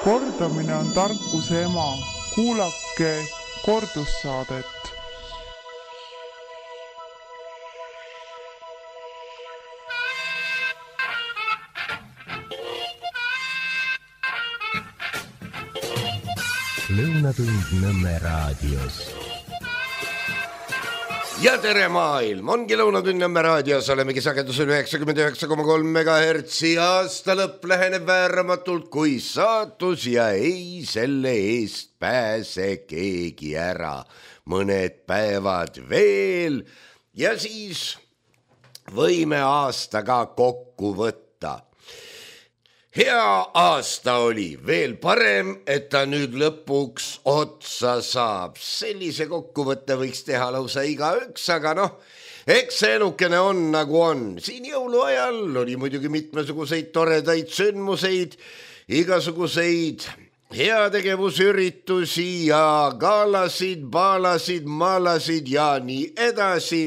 Kordamine on tarkuse ema. Kuulake kordussaadet. Lõunatund Nõmme raadios. Ja tere maailm, ongi Lõunatund Nõmme raadios, olemegi sagedusel 99,3 MHz ja aasta lõpp läheneb vääramatult kui saatus ja ei selle eest pääse keegi ära. Mõned päevad veel ja siis võime aastaga kokku võtta. Hea aasta oli, veel parem, et ta nüüd lõpuks otsa saab. Sellise kokkuvõtte võiks teha lausa igaüks, aga eks see elukene on nagu on. Siin jõuluajal oli muidugi mitmesuguseid toredaid sündmuseid, igasuguseid heategevusüritusi ja gaalasid, baalasid, maalasid ja nii edasi.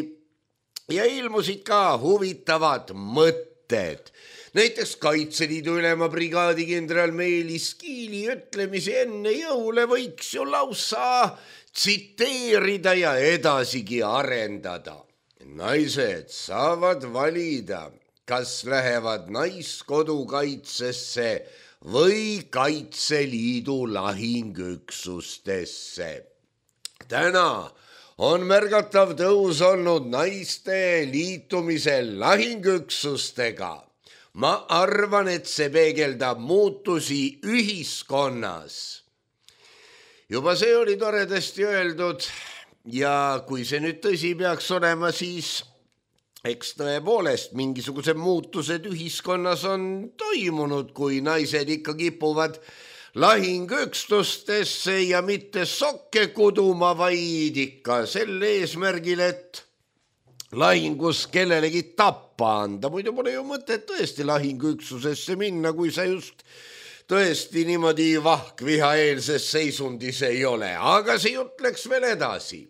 Ja ilmusid ka huvitavad mõtted. Näiteks Kaitseliidu ülema brigaadi kindral Meelis Kiili ütlemisi enne jõule võiks ju lausa tsiteerida ja edasigi arendada. Naised saavad valida, kas lähevad naiskodukaitsesse või Kaitseliidu lahingüksustesse. Täna on märgatav tõus olnud naiste liitumisel lahingüksustega. Ma arvan, et see peegeldab muutusi ühiskonnas. Juba see oli toredasti öeldud ja kui see nüüd tõsi peaks olema, siis eks tõepoolest mingisugused muutused ühiskonnas on toimunud, kui naised ikka kipuvad lahingüksustesse ja mitte sokke kuduma, vaid ikka sel eesmärgil, et lahingus kellelegi tappa anda. Muidu pole ju mõtet tõesti lahingüksusesse minna, kui sa just tõesti niimoodi vahkvihaeelses seisundis ei ole. Aga see jutt läks veel edasi.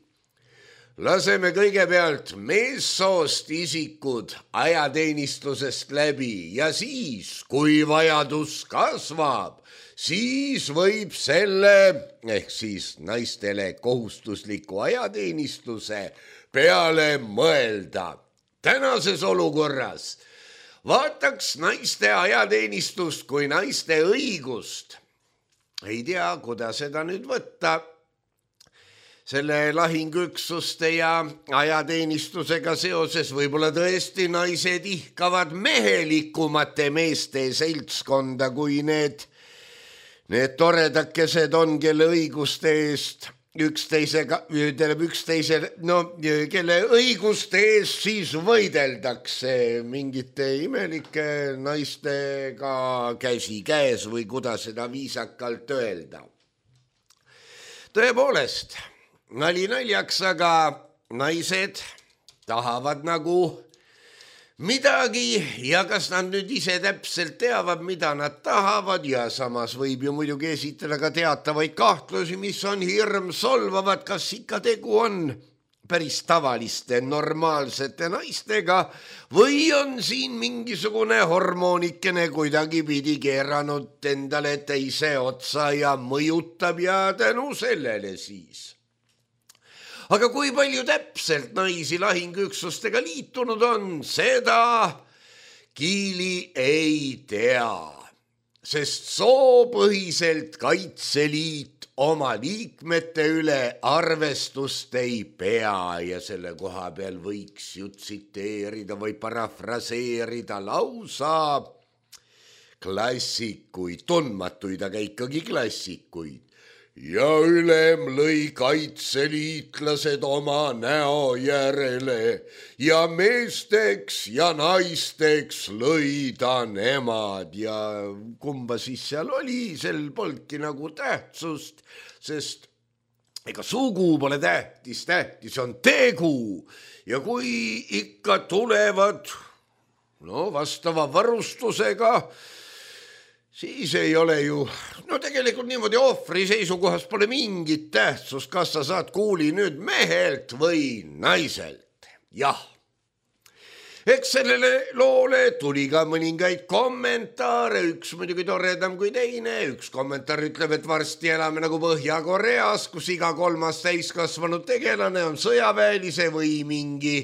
Laseme kõigepealt meessoost isikud ajateenistusest läbi ja siis, kui vajadus kasvab, siis võib selle ehk siis naistele kohustusliku ajateenistuse peale mõelda. Tänases olukorras vaataks naiste ajateenistust kui naiste õigust. Ei tea, kuidas seda nüüd võtta. Selle lahingüksuste ja ajateenistusega seoses võib-olla tõesti naised ihkavad mehelikumate meeste seltskonda kui need toredakesed on, kelle õiguste eest kelle õiguste eest siis võideldakse mingite imelike naistega käsi käes või kuidas seda viisakalt öelda. Tõepoolest, nali naljaks, aga naised tahavad nagu midagi ja kas nad nüüd ise täpselt teavad, mida nad tahavad ja samas võib ju muidugi esitada ka teatavaid kahtlusi, mis on hirm solvavad, kas ikka tegu on päris tavaliste normaalsete naistega või on siin mingisugune hormoonikene kuidagi pidi keeranud endale teise otsa ja mõjutab ja tänu sellele siis. Aga kui palju täpselt naisi lahingüksustega liitunud on, seda Kiili ei tea, sest soopõhiselt Kaitseliit oma liikmete üle arvestust ei pea ja selle koha peal võiks ju tsiteerida või parafraseerida lausa klassikuid, tundmatuid, aga ikkagi klassikuid. Ja ülem lõi kaitseliitlased oma näo järele ja meesteks ja naisteks lõi ta nemad ja kumba siis seal oli, sel polnudki nagu tähtsust, sest ega sugu pole tähtis, tähtis on tegu ja kui ikka tulevad vastava varustusega, siis ei ole ju, tegelikult niimoodi ohvri seisukohast pole mingit tähtsust, kas sa saad kuuli nüüd mehelt või naiselt. Jah, Eks sellele loole tuli ka mõningaid kommentaare, üks muidugi toredam kui teine, üks kommentaar ütleb, et varsti elame nagu Põhja-Koreas, kus iga kolmas täiskasvanud tegelane on sõjaväelise või mingi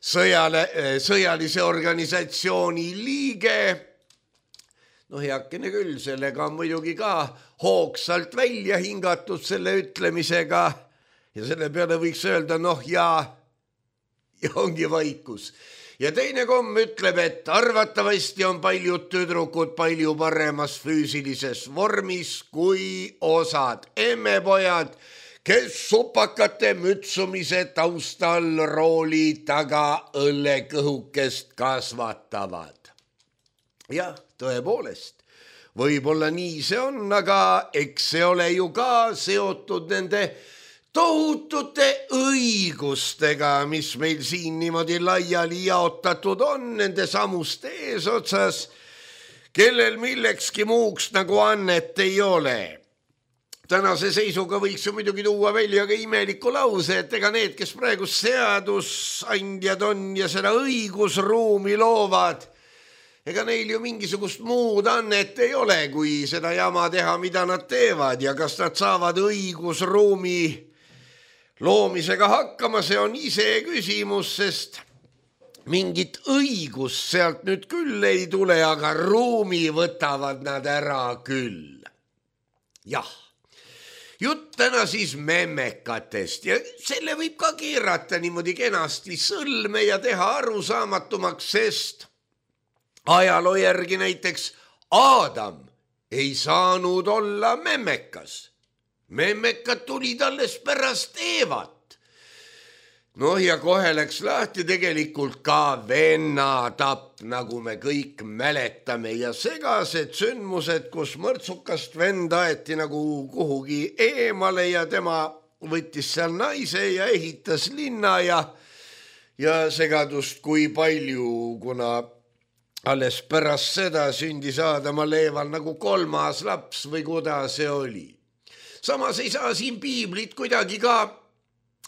sõjalise organisatsiooni liige. No heakene küll, sellega on muidugi ka hoogsalt välja hingatud selle ütlemisega ja selle peale võiks öelda ja ongi vaikus. Ja teine komm ütleb, et arvatavasti on paljud tüdrukud palju paremas füüsilises vormis kui osad emmepojad, kes supakate mütsumise taustal rooli taga õllekõhukest kasvatavad. Jah, tõepoolest, võib-olla nii see on, aga eks see ole ju ka seotud nende tohutute õigustega, mis meil siin niimoodi laiali jaotatud on nende samuste eesotsas, kellel millekski muuks nagu annet ei ole. Tänase seisuga võiks ju muidugi tuua välja ka imeliku lause, et ega need, kes praegu seadusandjad on ja seda õigusruumi loovad, ega neil ju mingisugust muud annet ei ole, kui seda jama teha, mida nad teevad ja kas nad saavad õigusruumi loomisega hakkama, see on ise küsimus, sest mingit õigust sealt nüüd küll ei tule, aga ruumi võtavad nad ära küll. Jah, jutt täna siis memmekatest ja selle võib ka keerata niimoodi kenasti sõlme ja teha arusaamatumaks, sest ajaloo järgi näiteks Aadam ei saanud olla memmekas. Memmekad tulid alles pärast Eevat. Ja kohe läks lahti tegelikult ka vennatapp, nagu me kõik mäletame ja segased sündmused, kus mõrtsukast vend aeti nagu kuhugi eemale ja tema võttis seal naise ja ehitas linna ja segadust kui palju, kuna alles pärast seda sündis Aadamal Eeval nagu kolmas laps või kuidas see oli. Samas ei saa siin piiblit kuidagi ka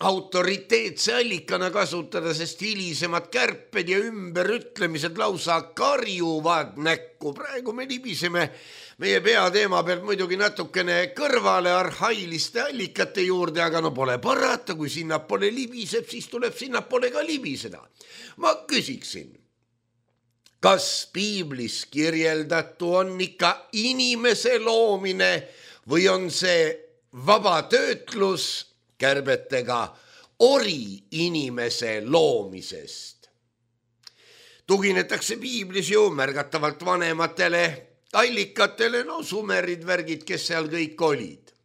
autoriteetse allikana kasutada, sest hilisemad kärped ja ümberütlemised lausa karjuvad näkku. Praegu me libiseme meie peateema pealt muidugi natukene kõrvale arhailiste allikate juurde, aga pole parata, kui sinnapoole libiseb, siis tuleb sinnapoole ka libiseda. Ma küsiksin, kas piiblis kirjeldatu on ikka inimese loomine või on see vaba töötlus kärbetega ori inimese loomisest? Tuginetakse piiblis ju märgatavalt vanematele allikatele, sumerid, värgid, kes seal kõik olid.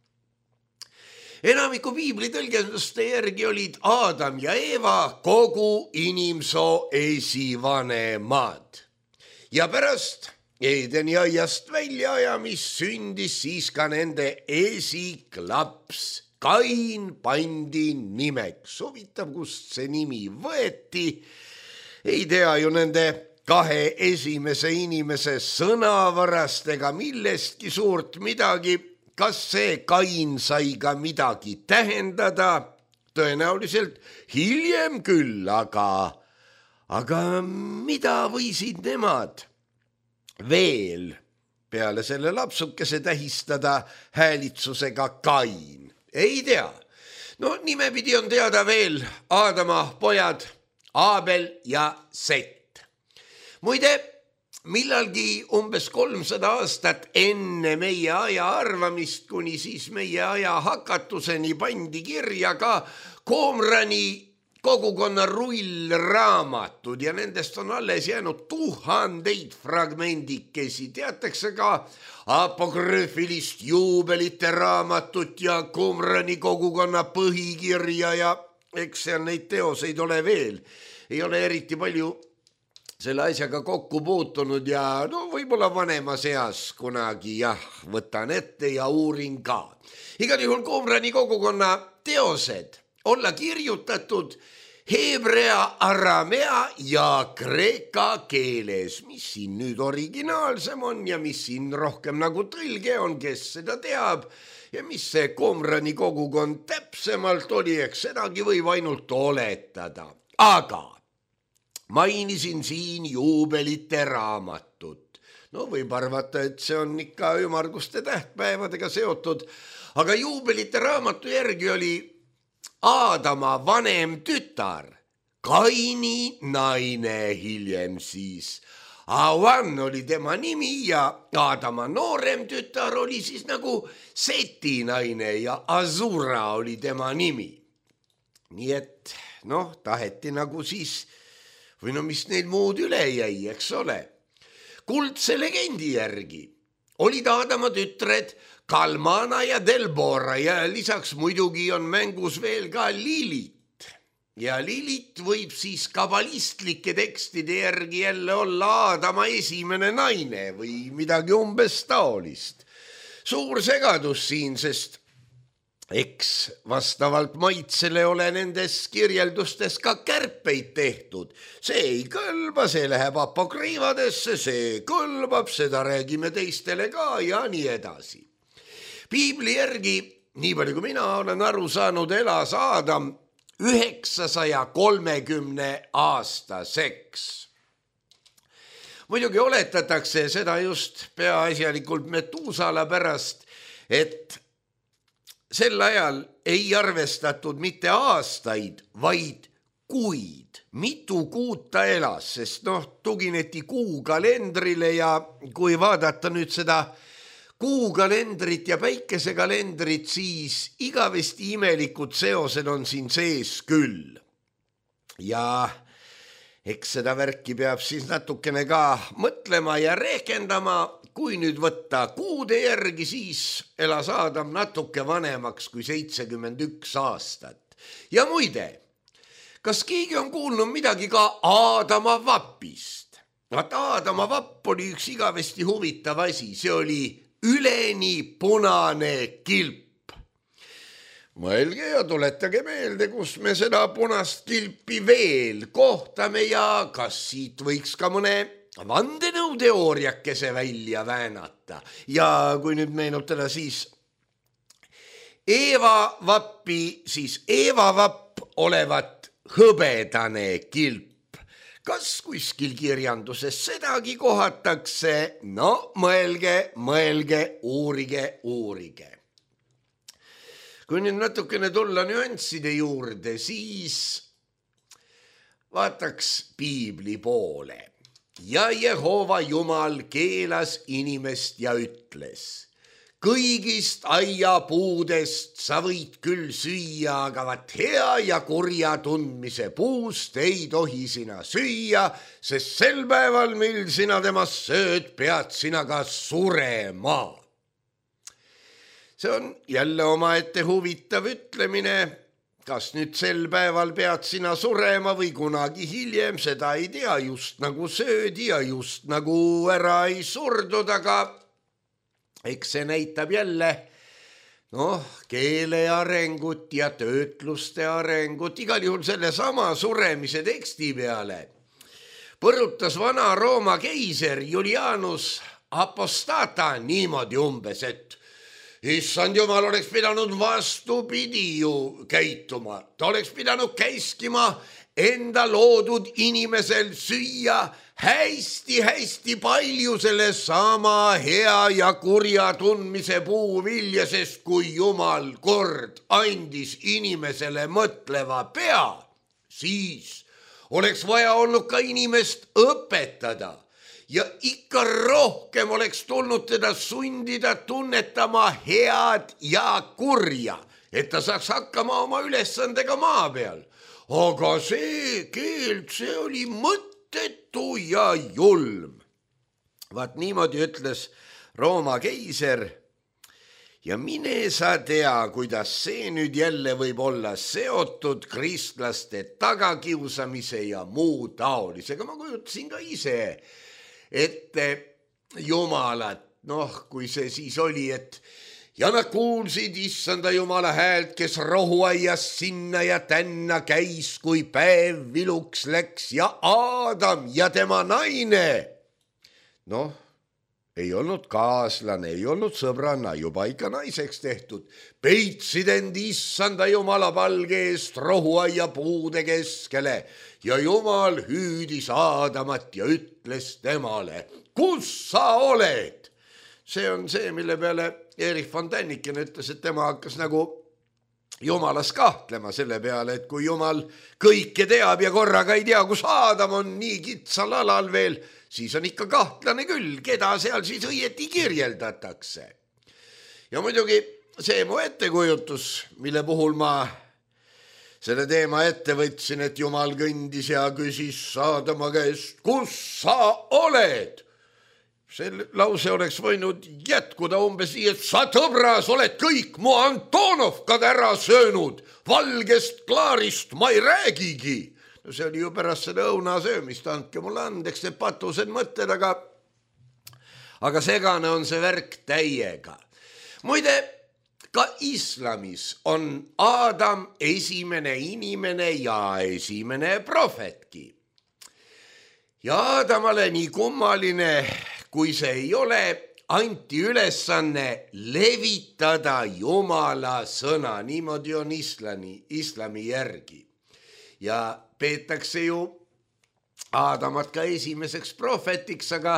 Enamiku piibli tõlgenduste järgi olid Aadam ja Eeva kogu inimsoo esivanemad. Ja pärast Eedeni aiast väljaajamist sündis siis ka nende esiklaps. Kain pandi nimeks. Huvitav, kust see nimi võeti. Ei tea ju nende kahe esimese inimese sõnavarast ega millestki suurt midagi. Kas see Kain sai ka midagi tähendada? Tõenäoliselt hiljem küll, aga mida võisid nemad veel peale selle lapsukese tähistada häälitsusega Kain? Ei tea. Nimepidi on teada veel Aadama pojad Aabel ja Set. Muide, millalgi umbes 300 aastat enne meie aja arvamist, kuni siis meie aja hakatuseni pandi kirja ka Qumrani kogukonna rullraamatud ja nendest on alles jäänud 1000 fragmendikesi. Teatakse ka apokrüüfilist juubelite raamatut ja Qumrani kogukonna põhikirja ja eks seal neid teoseid ole veel. Ei ole eriti palju selle asjaga kokku puutunud ja võib-olla vanemas eas kunagi võtan ette ja uurin ka. Igal juhul Qumrani kogukonna teosed olla kirjutatud heebrea, aramea ja kreeka keeles, mis siin nüüd originaalsem on ja mis siin rohkem nagu tõlge on, kes seda teab ja mis see Qumrani kogukond täpsemalt oli, eks sedagi võib ainult oletada. Aga mainisin siin juubelite raamatut. No võib arvata, et see on ikka ümmarguste tähtpäevadega seotud, aga juubelite raamatu järgi oli Aadama vanem tütar, Kaini naine hiljem siis. Avan oli tema nimi ja Aadama noorem tütar oli siis nagu Seti naine ja Azura oli tema nimi. Nii et taheti nagu siis, või mis neil muud üle jäi, eks ole. Kuldse legendi järgi olid Aadama tütred Kalmana ja Delbora ja lisaks muidugi on mängus veel ka Lilit. Ja Lilit võib siis kabalistlike tekstide järgi jälle olla Aadama esimene naine või midagi umbes taolist. Suur segadus siin, sest eks vastavalt maitsele ole nendes kirjeldustes ka kärpeid tehtud. See ei kõlba, see läheb apokriivadesse, see kõlbab, seda räägime teistele ka ja nii edasi. Piibli järgi, nii palju kui mina olen aru saanud, elas Aadam 930 aastaseks. Muidugi oletatakse seda just peaasjalikult Metusala pärast, et sel ajal ei arvestatud mitte aastaid, vaid kuid. Mitu kuud ta elas, sest tugineti kuukalendrile ja kui vaadata nüüd seda kuukalendrit ja päikesekalendrit, siis igavesti imelikud seosed on siin sees küll. Ja eks seda värki peab siis natukene ka mõtlema ja rehkendama. Kui nüüd võtta kuude järgi, siis elas Aadam natuke vanemaks kui 71 aastat. Ja muide, kas keegi on kuulnud midagi ka Aadama vapist? Aadama vapp oli üks igavesti huvitav asi, see oli üleni punane kilp. Mõelge ja tuletage meelde, kus me seda punast kilpi veel kohtame ja kas siit võiks ka mõne vandenõuteooriakese välja väänata. Ja kui nüüd meenutada siis Eeva vappi, siis Eeva vapp olevat hõbedane kilp. Kas kuskil kirjanduses sedagi kohatakse? No mõelge, uurige. Kui nüüd natukene tulla nüansside juurde, siis vaataks piibli poole. Ja Jehova Jumal keelas inimest ja ütles: kõigist aiapuudest sa võid küll süüa, aga vaat hea ja kurja tundmise puust ei tohi sina süüa, sest sel päeval, mil sina temast sööd, pead sina ka surema. See on jälle omaette huvitav ütlemine. Kas nüüd sel päeval pead sina surema või kunagi hiljem, seda ei tea, just nagu söödi ja just nagu ära ei surdud, aga eks see näitab jälle keele arengut ja töötluste arengut. Igal juhul selle sama suremise teksti peale põrutas vana Rooma keiser Julianus Apostata niimoodi umbes, et issand Jumal oleks pidanud vastupidi ju käituma. Ta oleks pidanud käskima enda loodud inimesel süüa hästi palju selle sama hea ja kurja tundmise puuvilja, sest kui Jumal kord andis inimesele mõtleva pea, siis oleks vaja olnud ka inimest õpetada ja ikka rohkem oleks tulnud teda sundida tunnetama head ja kurja, et ta saaks hakkama oma ülesandega maa peal. Aga see keeld, see oli mõttetu ja julm. Vaat niimoodi ütles Rooma keiser ja mine sa tea, kuidas see nüüd jälle võib olla seotud kristlaste tagakiusamise ja muu taolisega. Ma kujutasin ka ise ette Jumalat, kui see siis oli, et ja nad kuulsid issanda Jumala häält, kes rohuaias sinna ja tänna käis, kui päev viluks läks ja Aadam ja tema naine. ei olnud kaaslane, ei olnud sõbranna, juba ikka naiseks tehtud. Peitsid end issanda jumala palge eest rohuaia puude keskele ja jumal hüüdis Aadamat ja ütles temale, kus sa oled? See on see, mille peale Erich von Däniken ütles, et tema hakkas nagu jumalas kahtlema selle peale, et kui jumal kõike teab ja korraga ei tea, kus Aadam on nii kitsal alal veel, siis on ikka kahtlane küll, keda seal siis õieti kirjeldatakse. Ja muidugi see mu ettekujutus, mille puhul ma selle teema ette võtsin, et jumal kõndis ja küsis Aadama käest, kus sa oled? See lause oleks võinud jätkuda umbes nii, et sa tõbras oled kõik mu Antonovkad ära söönud, valgest klaarist ma ei räägigi. No see oli ju pärast seda õuna söömist, andke mulle andeks need patused mõtted, aga segane on see värk täiega. Muide, ka islamis on Aadam esimene inimene ja esimene prohvetki. Ja Aadamale nii kummaline kui see ei ole, anti ülesanne levitada Jumala sõna, niimoodi on islami järgi. Ja peetakse ju Aadamat ka esimeseks prohvetiks, aga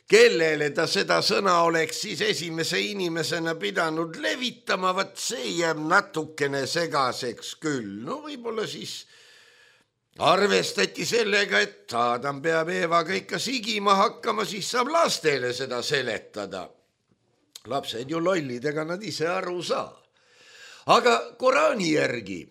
kellele ta seda sõna oleks siis esimese inimesena pidanud levitama, vaat see jääb natukene segaseks küll. No võib-olla siis arvestati sellega, et Aadam peab Eevaga ikka sigima hakkama, siis saab lastele seda seletada. Lapsed ju lollid, ega nad ise aru saa. Aga Koraani järgi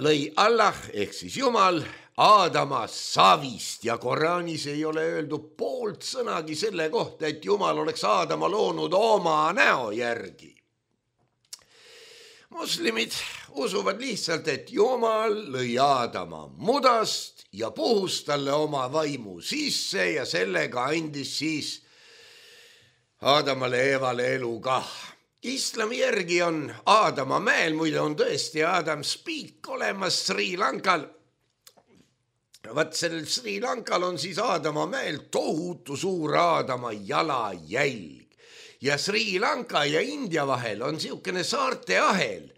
lõi Allah ehk siis Jumal Aadama savist ja Koraanis ei ole öeldud poolt sõnagi selle kohta, et Jumal oleks Aadama loonud oma näo järgi. Moslemid usuvad lihtsalt, et Jumal lõi Aadama mudast ja puhus talle oma vaimu sisse ja sellega andis siis Aadamale Eevale elu kah. Islami järgi on Aadama mäel, muide on tõesti Adam's Peak olemas Sri Lankal. Vaat sellel Sri Lankal on siis Aadama mäel tohutu suur Aadama jalajälg. Ja Sri Lanka ja India vahel on siukene saarte ahel,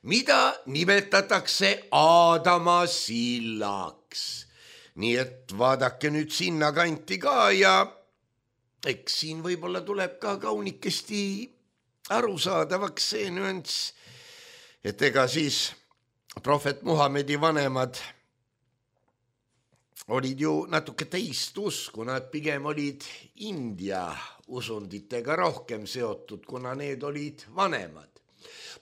mida nimetatakse Aadama sillaks. Nii et vaadake nüüd sinna kanti ka ja eks siin võib-olla tuleb ka kaunikesti arusaadavaks see nüanss, et ega siis prohvet Muhamedi vanemad olid ju natuke teist usku, nad pigem olid India usunditega rohkem seotud, kuna need olid vanemad.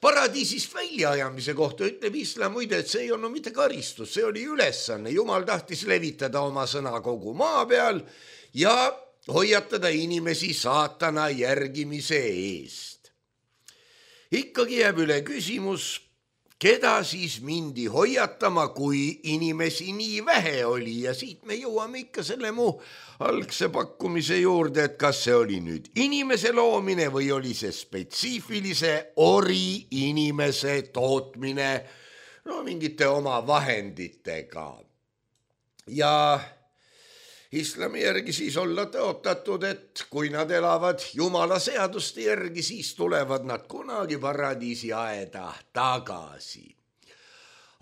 Paradiisist väljaajamise kohta ütleb islam muide, et see ei olnud mitte karistus, see oli ülesanne. Jumal tahtis levitada oma sõna kogu maa peal ja hoiatada inimesi saatana järgimise eest. Ikkagi jääb üle küsimus, keda siis mindi hoiatama, kui inimesi nii vähe oli ja siit me jõuame ikka selle mu algse pakkumise juurde, et kas see oli nüüd inimese loomine või oli see spetsiifilise ori inimese tootmine mingite oma vahenditega. Ja islami järgi siis olla tõotatud, et kui nad elavad Jumala seaduste järgi, siis tulevad nad kunagi paradiisi aeda tagasi.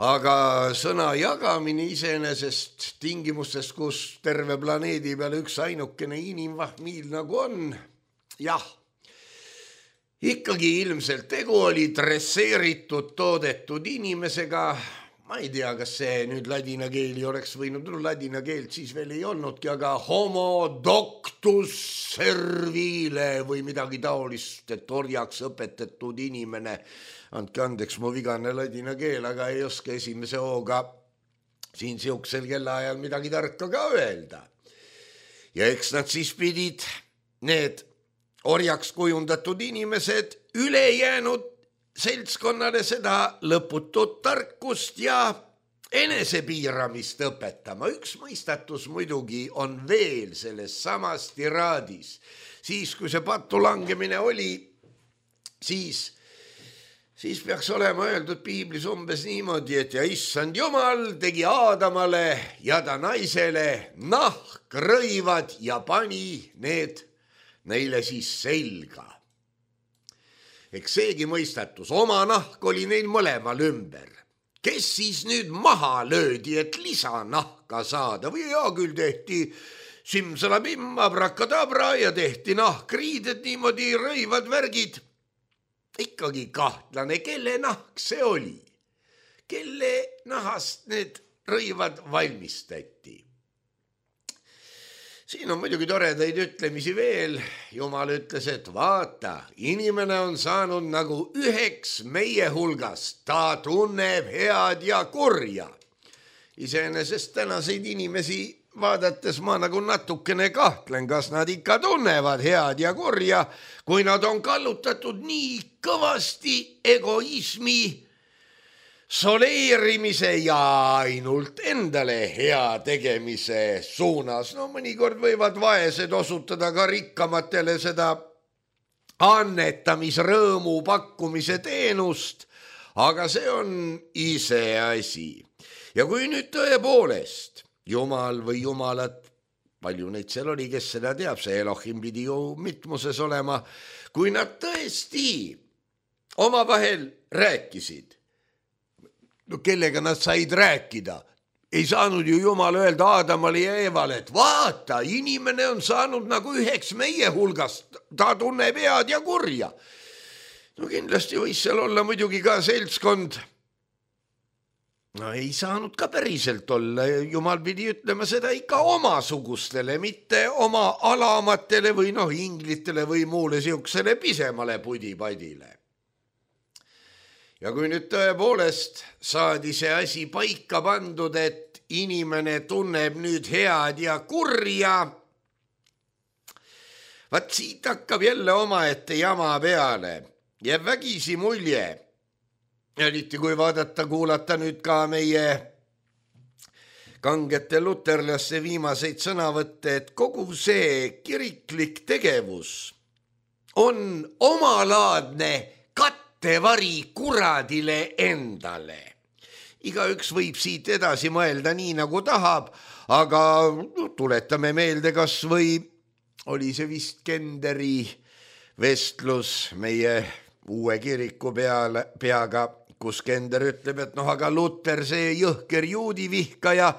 Aga sõna jagamine iseenesest tingimustes, kus terve planeedi peal üks ainukene inimvahmiil nagu on, jah, ikkagi ilmselt tegu oli dresseeritud, toodetud inimesega. Ma ei tea, kas see nüüd ladina keeli oleks võinud, ladina keelt siis veel ei olnudki, aga homo doctus servile või midagi taolist, et orjaks õpetatud inimene. Andke andeks mu vigane ladina keel, aga ei oska esimese hooga siin siuksel kellaajal midagi tarka ka öelda. Ja eks nad siis pidid, need orjaks kujundatud inimesed, ülejäänud seltskonnale seda lõputut tarkust ja enesepiiramist õpetama. Üks mõistatus muidugi on veel selles samas tiraadis. Siis, kui see pattu langemine oli, siis peaks olema öeldud piiblis umbes niimoodi, et ja issand Jumal tegi Aadamale ja ta naisele nahkrõivad ja pani need neile siis selga. Eks seegi mõistatus, oma nahk oli neil mõlemal ümber. Kes siis nüüd maha löödi, et lisanahka saada või hea küll tehti simsalabim, abrakadabra ja tehti nahkriided, niimoodi rõivad värgid. Ikkagi kahtlane, kelle nahk see oli, kelle nahast need rõivad valmistati. Siin on muidugi toredaid ütlemisi veel. Jumal ütles, et vaata, inimene on saanud nagu üheks meie hulgast. Ta tunneb head ja kurja. Iseenesest tänaseid inimesi vaadates ma nagu natukene kahtlen, kas nad ikka tunnevad head ja kurja, kui nad on kallutatud nii kõvasti egoismi, soleerimise ja ainult endale hea tegemise suunas. No mõnikord võivad vaesed osutada ka rikkamatele seda annetamisrõõmu pakkumise teenust, aga see on iseasi. Ja kui nüüd tõepoolest Jumal või jumalad, palju neid seal oli, kes seda teab, see Elohim pidi ju mitmuses olema, kui nad tõesti omavahel rääkisid, no kellega nad said rääkida? Ei saanud ju Jumal öelda Aadamale ja Eevale, et vaata, inimene on saanud nagu üheks meie hulgast, ta tunneb head ja kurja. No kindlasti võis seal olla muidugi ka seltskond. No ei saanud ka päriselt olla, Jumal pidi ütlema seda ikka omasugustele, mitte oma alamatele või inglitele või muule siuksele pisemale pudipadile. Ja kui nüüd tõepoolest saadi see asi paika pandud, et inimene tunneb nüüd head ja kurja, vaat siit hakkab jälle omaette jama peale. Jääb vägisi mulje, eriti kui vaadata, kuulata nüüd ka meie kangete luterlaste viimaseid sõnavõtte, et kogu see kiriklik tegevus on omalaadne kattevari kuradile endale. Igaüks võib siit edasi mõelda nii, nagu tahab, aga tuletame meelde, kas või oli see vist Kenderi vestlus meie uue kiriku peaga, kus Kender ütleb, et aga Luter, see jõhker juudi vihkaja,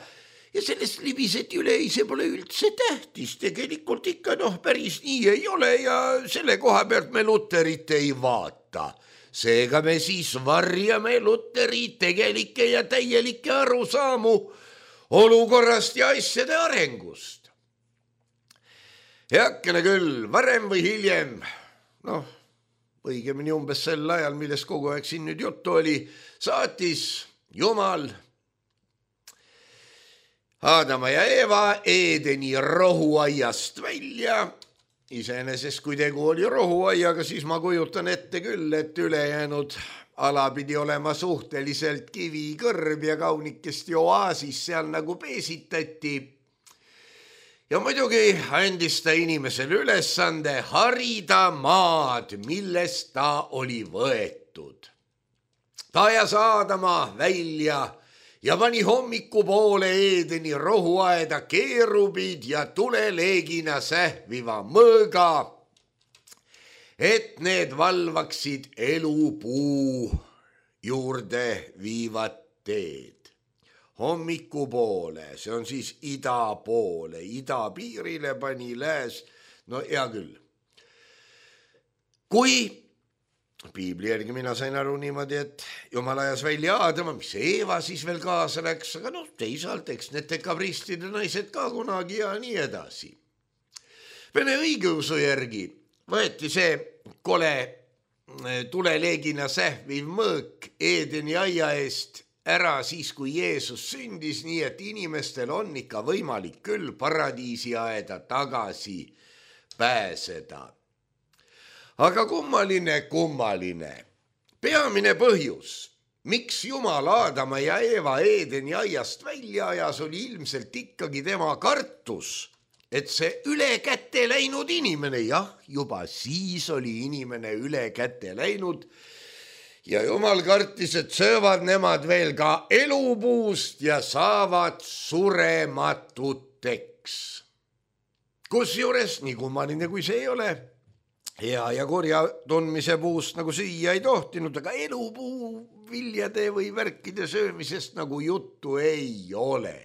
ja sellest libiseti üle, see pole üldse tähtis, tegelikult ikka päris nii ei ole ja selle koha pealt me Luterit ei vaata. Seega me siis varjame Luteri tegelikke ja täielikke arusaamu olukorrast ja asjade arengust. Heakene küll, varem või hiljem, õigemini umbes sel ajal, millest kogu aeg siin nüüd juttu oli, saatis Jumal Aadama ja Eeva Eedeni rohuaiast välja. Iseenesest, kui tegu oli rohuaiaga, siis ma kujutan ette küll, et ülejäänud ala pidi olema suhteliselt kivikõrb ja kaunikesti oaasis seal nagu peesitati. Ja muidugi andis ta inimesele ülesande harida maad, millest ta oli võetud. Ta ajas Aadama välja ja pani hommikupoole Eedeni rohuaeda keerubid ja tuleleegina sähviva mõõga, et need valvaksid elupuu juurde viivat teed. Hommikupoole, see on siis ida poole, idapiirile pani lääs, hea küll. Kui piibli järgi mina sain aru niimoodi, et Jumal ajas välja Aadama, mis Eeva siis veel kaasa läks, aga teisalt, eks need dekabristide naised ka kunagi ja nii edasi. Vene õigeusu järgi võeti see kole tuleleegina sähviv mõõk Eedeni aia eest ära siis, kui Jeesus sündis, nii et inimestel on ikka võimalik küll paradiisi aeda tagasi pääseda. Aga kummaline. Peamine põhjus, miks Jumal Aadama ja Eeva Eedeni aiast välja ajas, oli ilmselt ikkagi tema kartus, et see üle kätte läinud inimene, juba siis oli inimene üle kätte läinud ja Jumal kartis, et söövad nemad veel ka elupuust ja saavad surematuteks. Kusjuures nii kummaline kui see ei ole, hea ja kurja tundmise puust nagu süüa ei tohtinud, aga elupuu viljade või värkide söömisest nagu juttu ei ole.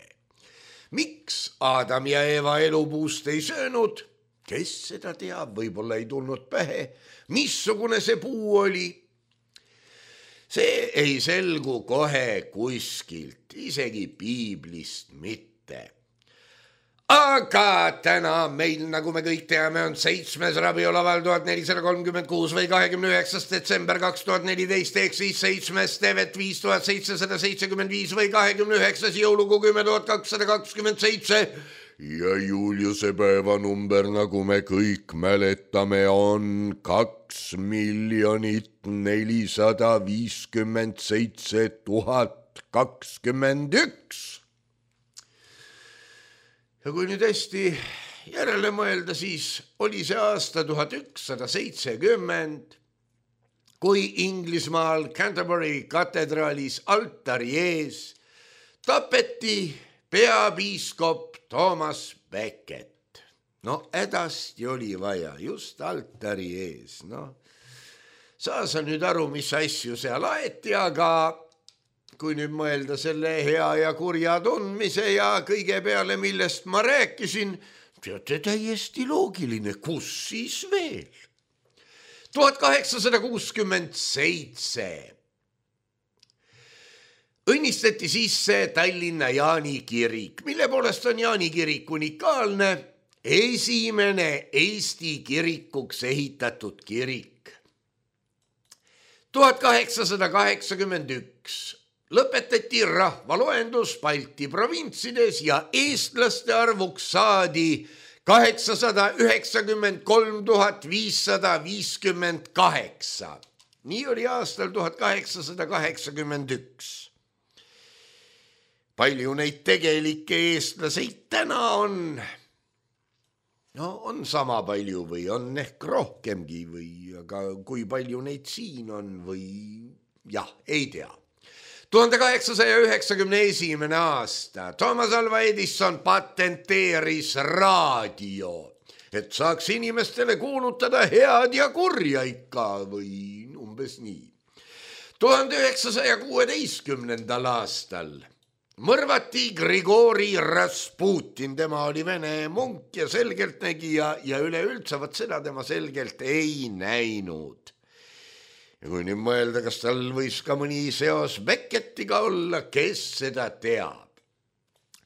Miks Adam ja Eva elupuust ei söönud? Kes seda teab, võib-olla ei tulnud pähe. Missugune see puu oli? See ei selgu kohe kuskilt, isegi piiblist mitte. Aga täna meil, nagu me kõik teame, on 7. rabiolaval 1436 või 29. detsember 2014 ehk siis 7. tevet 5775 või 29. jõulukuu 10227 ja Juliuse päevanumber, nagu me kõik mäletame, on 2 457 021. Ja kui nüüd hästi järele mõelda, siis oli see aasta 1170, kui Inglismaal Canterbury katedraalis altari ees tapeti peapiiskop Thomas Becket. No hädasti oli vaja just altari ees. No, saa sa nüüd aru, mis asju seal aeti, aga kui nüüd mõelda selle hea ja kurja tundmise ja kõige peale, millest ma rääkisin, teate, täiesti loogiline, kus siis veel? 1867 õnnistati sisse Tallinna Jaani kirik, mille poolest on Jaani kirik unikaalne, esimene Eesti kirikuks ehitatud kirik. 1881 lõpetati rahvaloendus Balti provintsides ja eestlaste arvuks saadi 893 558. Nii oli aastal 1881. Palju neid tegelikke eestlaseid täna on? No on sama palju või on ehk rohkemgi või, aga kui palju neid siin on või jah, ei tea. 1891. aasta Thomas Alva Edison patenteeris raadio, et saaks inimestele kuulutada head ja kurja ikka või umbes nii. 1916. aastal mõrvati Grigori Rasputin, tema oli Vene munk ja selgeltnägija ja üleüldse vaat seda tema selgelt ei näinud. Ja kui nüüd mõelda, kas tal võis ka mõni seos Beckettiga olla, kes seda teab.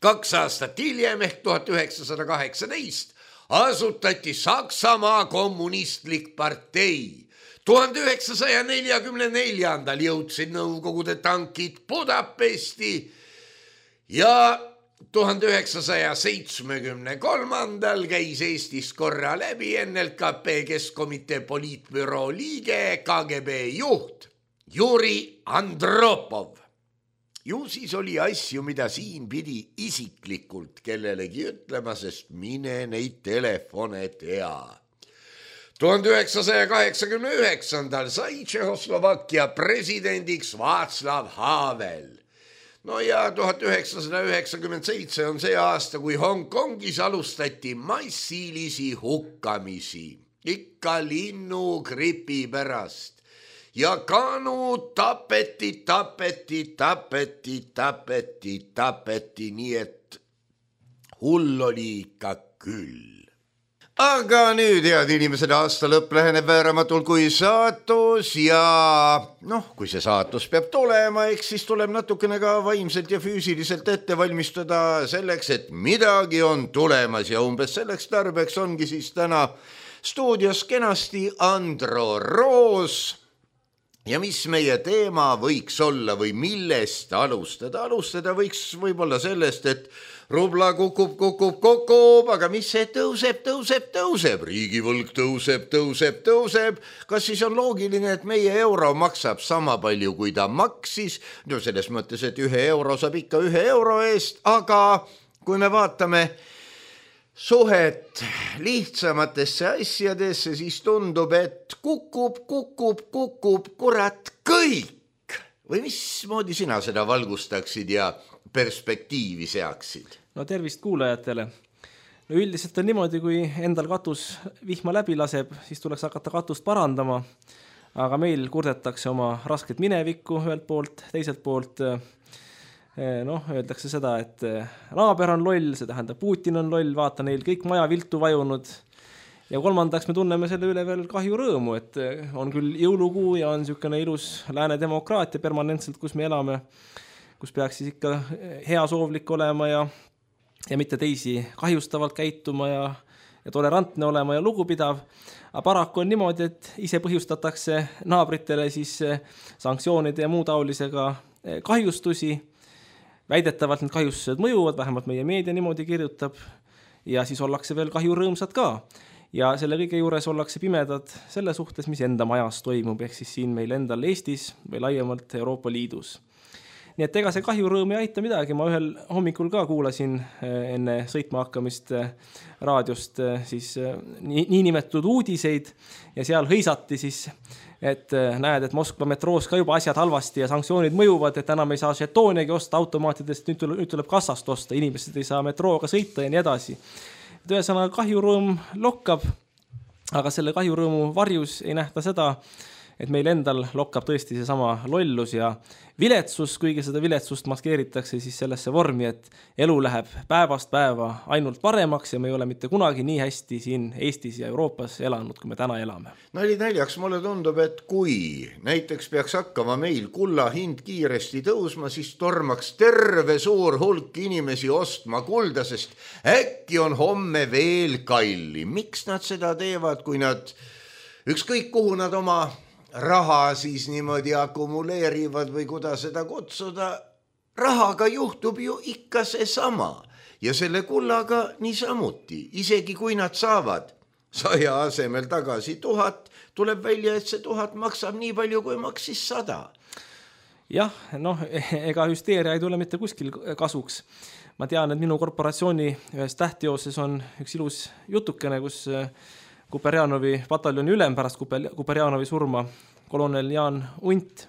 2 aastat hiljem ehk 1918 asutati Saksamaa kommunistlik partei. 1944. jõudsid Nõukogude tankid Budapesti ja 1973. käis Eestis korra läbi NLKP Keskkomitee poliitbüroo liige, KGB juht Juri Andropov. Ju siis oli asju, mida siin pidi isiklikult kellelegi ütlema, sest mine neid telefone tea. 1989. sai Tšehhoslovakkia presidendiks Václav Havel. No ja 1997 on see aasta, kui Hongkongis alustati massilisi hukkamisi, ikka linnugripi pärast. Ja kanud tapeti, nii et hull oli ikka küll. Aga nüüd, head inimesed, aasta lõpp läheneb vääramatult kui saatus ja kui see saatus peab tulema, eks siis tuleb natukene ka vaimselt ja füüsiliselt ette valmistada selleks, et midagi on tulemas ja umbes selleks tarbeks ongi siis täna stuudios kenasti Andro Roos. Ja mis meie teema võiks olla või millest alustada? Alustada võiks võib-olla sellest, et rubla kukub, aga mis see tõuseb? Riigivõlg tõuseb. Kas siis on loogiline, et meie euro maksab sama palju, kui ta maksis? No selles mõttes, et 1 euro saab ikka 1 euro eest, aga kui me vaatame suhet lihtsamatesse asjadesse, siis tundub, et kukub, kurat, kõik. Või mismoodi sina seda valgustaksid ja perspektiivi seaksid? No tervist kuulajatele. No üldiselt on niimoodi, kui endal katus vihma läbi laseb, siis tuleks hakata katust parandama, aga meil kurdetakse oma rasket minevikku ühelt poolt, teiselt poolt öeldakse seda, et naaber on loll, see tähendab Putin on loll, vaata neil kõik maja viltu vajunud ja kolmandaks me tunneme selle üle veel kahju rõõmu, et on küll jõulukuu ja on niisugune ilus lääne demokraatia permanentselt, kus me elame, kus peaks siis ikka heasoovlik olema ja mitte teisi kahjustavalt käituma ja tolerantne olema ja lugupidav. Aga paraku on niimoodi, et ise põhjustatakse naabritele siis sanktsioonide ja muu taolisega kahjustusi. Väidetavalt need kahjustused mõjuvad, vähemalt meie meedia niimoodi kirjutab ja siis ollakse veel kahjurõõmsad ka. Ja selle kõige juures ollakse pimedad selle suhtes, mis enda majas toimub, ehk siis siin meil endal Eestis või laiemalt Euroopa Liidus. Nii et ega see kahjurõõm ei aita midagi, ma ühel hommikul ka kuulasin enne sõitma hakkamist raadiost siis niinimetatud uudiseid ja seal hõisati siis, et näed, et Moskva metroos ka juba asjad halvasti ja sanktsioonid mõjuvad, et enam ei saa žetoonegi osta automaatidest, nüüd tuleb kassast osta, inimesed ei saa metrooga sõita ja nii edasi. Ühesõnaga kahjurõõm lokkab, aga selle kahjurõõmu varjus ei nähta seda, et meil endal lokkab tõesti see sama lollus ja viletsus, kuigi seda viletsust maskeeritakse siis sellesse vormi, et elu läheb päevast päeva ainult paremaks ja me ei ole mitte kunagi nii hästi siin Eestis ja Euroopas elanud, kui me täna elame. Nali näljaks mulle tundub, et kui näiteks peaks hakkama meil kulla hind kiiresti tõusma, siis tormaks terve suur hulk inimesi ostma kulda, sest äkki on homme veel kallim. Miks nad seda teevad, kui nad ükskõik kuhu nad oma raha siis niimoodi akumuleerivad või kuidas seda kutsuda, rahaga juhtub ju ikka see sama ja selle kullaga niisamuti, isegi kui nad saavad 100 asemel tagasi 1000, tuleb välja, et see 1000 maksab nii palju, kui maksis 100. Jah, ega hüsteeria ei tule mitte kuskil kasuks. Ma tean, et minu korporatsiooni ühes tähtjooses on üks ilus jutukene, kus Kuperjanovi pataljoni ülem pärast Kuperjanovi surma, kolonel Jaan Unt,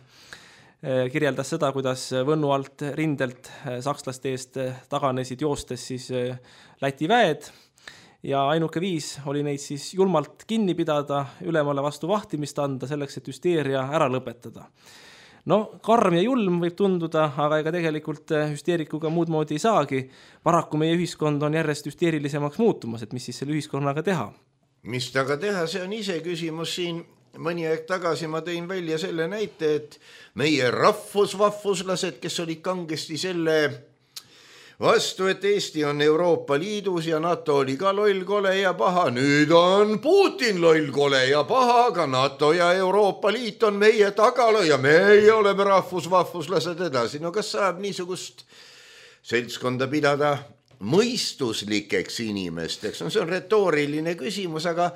kirjeldas seda, kuidas Võnnu alt rindelt sakslaste eest taganesid joostes siis Läti väed ja ainuke viis oli neid siis julmalt kinni pidada, ülemale vastu vahtimist anda selleks, et hüsteeria ära lõpetada. Karm ja julm võib tunduda, aga ega tegelikult hüsteerikuga muud moodi ei saagi. Paraku meie ühiskond on järjest hüsteerilisemaks muutumas, et mis siis selle ühiskonnaga teha? Mis taga teha, see on ise küsimus siin. Mõni aeg tagasi ma tõin välja selle näite, et meie rahvusvahvuslased, kes olid kangesti selle vastu, et Eesti on Euroopa Liidus ja NATO oli ka loll, kole ja paha. Nüüd on Putin loll, kole ja paha, aga NATO ja Euroopa Liit on meie tagala ja meie oleme rahvusvahvuslased edasi. Kas saab niisugust seltskonda pidada mõistuslikeks inimesteks? See on retooriline küsimus, aga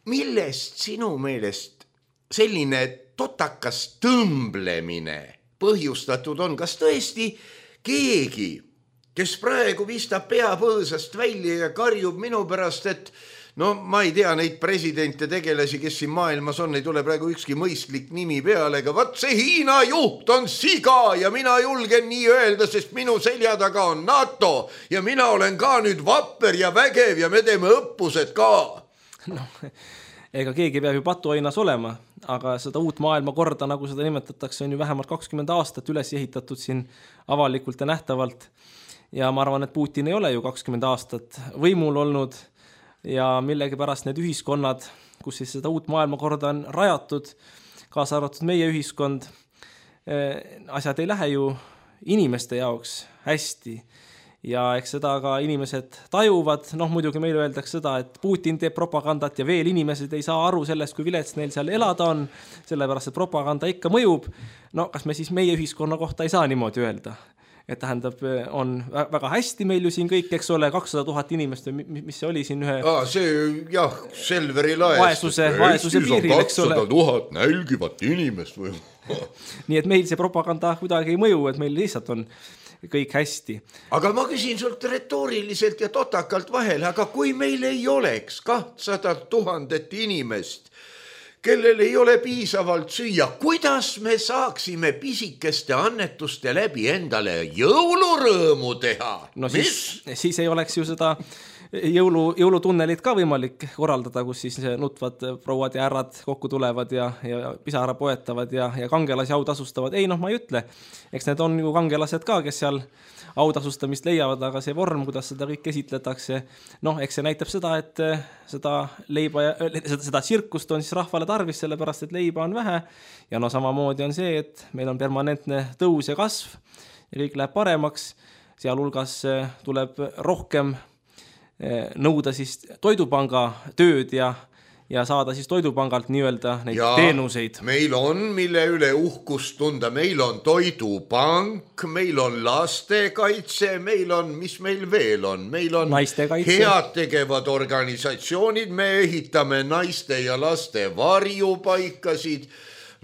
millest sinu meelest selline totakas tõmblemine põhjustatud on? Kas tõesti keegi, kes praegu vistab pea põõsast välja ja karjub minu pärast, et ma ei tea neid presidente tegelasi, kes siin maailmas on, ei tule praegu ükski mõistlik nimi peale, aga vaat see Hiina juht on siga ja mina julgen nii öelda, sest minu selja taga on NATO ja mina olen ka nüüd vapper ja vägev ja me teeme õppused ka. Ega keegi peab ju patuainas olema, aga seda uut maailmakorda, nagu seda nimetatakse, on ju vähemalt 20 aastat üles ehitatud siin avalikult ja nähtavalt. Ja ma arvan, et Putin ei ole ju 20 aastat võimul olnud ja millegipärast need ühiskonnad, kus siis seda uut maailmakorda on rajatud, kaasa arvatud meie ühiskond, asjad ei lähe ju inimeste jaoks hästi. Ja eks seda ka inimesed tajuvad, muidugi meile öeldakse seda, et Putin teeb propagandat ja veel inimesed ei saa aru sellest, kui vilets neil seal elada on, sellepärast, et propaganda ikka mõjub. Kas me siis meie ühiskonna kohta ei saa niimoodi öelda? Et tähendab, on väga hästi meil ju siin kõik, eks ole, 200 000 inimest, mis see oli siin ühe... Selveri laest. Vaesuse piiril, eks ole. 200 000 nälgivat inimest või... Nii et meil see propaganda kuidagi ei mõju, et meil lihtsalt on kõik hästi. Aga ma küsin sult retooriliselt ja totakalt vahele, aga kui meil ei oleks 200 000 inimest, kellel ei ole piisavalt süüa, kuidas me saaksime pisikeste annetuste läbi endale jõulurõõmu teha? Siis ei oleks ju seda jõulutunnelit ka võimalik korraldada, kus siis nutvad prouad ja härrad kokku tulevad ja pisara poetavad ja kangelasi autasustavad. Ei, ma ei ütle. Eks need on ju kangelased ka, kes seal autasustamist leiavad, aga see vorm, kuidas seda kõik esitletakse, eks see näitab seda, et seda tsirkust on siis rahvale tarvis, sellepärast, et leiba on vähe ja samamoodi on see, et meil on permanentne tõus ja kasv ja kõik läheb paremaks, sealhulgas tuleb rohkem nõuda siis toidupanga tööd ja saada siis toidupangalt nii-öelda neid teenuseid. Meil on, mille üle uhkust tunda, meil on toidupank, meil on lastekaitse, meil on, mis meil veel on, meil on head tegevad organisatsioonid, me ehitame naiste ja laste varjupaikasid,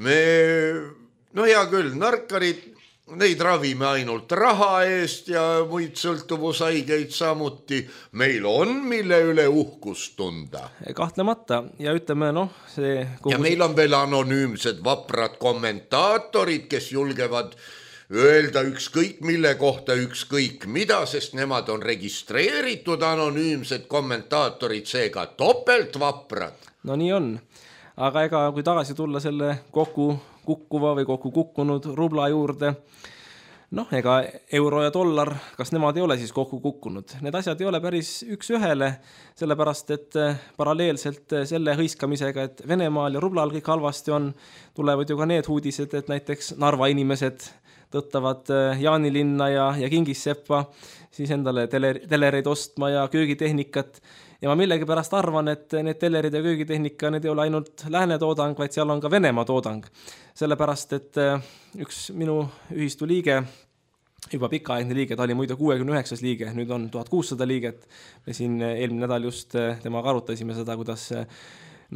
hea küll, narkarid, neid ravime ainult raha eest ja muid sõltuvushaigeid samuti. Meil on, mille üle uhkust tunda. Kahtlemata ja ütleme, see... Ja meil on veel anonüümsed vaprad kommentaatorid, kes julgevad öelda ükskõik mille kohta ükskõik mida, sest nemad on registreeritud anonüümsed kommentaatorid, seega topelt vaprad. No nii on. Aga ega kui tagasi tulla selle kukkuva või kokku kukkunud rubla juurde, ega euro ja dollar, kas nemad ei ole siis kokku kukkunud? Need asjad ei ole päris üks ühele, sellepärast, et paralleelselt selle hõiskamisega, et Venemaal ja rublal kõik halvasti on, tulevad ju ka need uudised, et näiteks Narva inimesed tõttavad Jaanilinna ja Kingisseppa siis endale telereid ostma ja köögitehnikat. Ja ma millegipärast arvan, et need telerid ja köögitehnika, need ei ole ainult lääne toodang, vaid seal on ka Venemaa toodang. Sellepärast, et üks minu ühistu liige, juba pikaaegne liige, ta oli muide 69 liige, nüüd on 1600 liiget. Me siin eelmine nädal just temaga arutasime seda, kuidas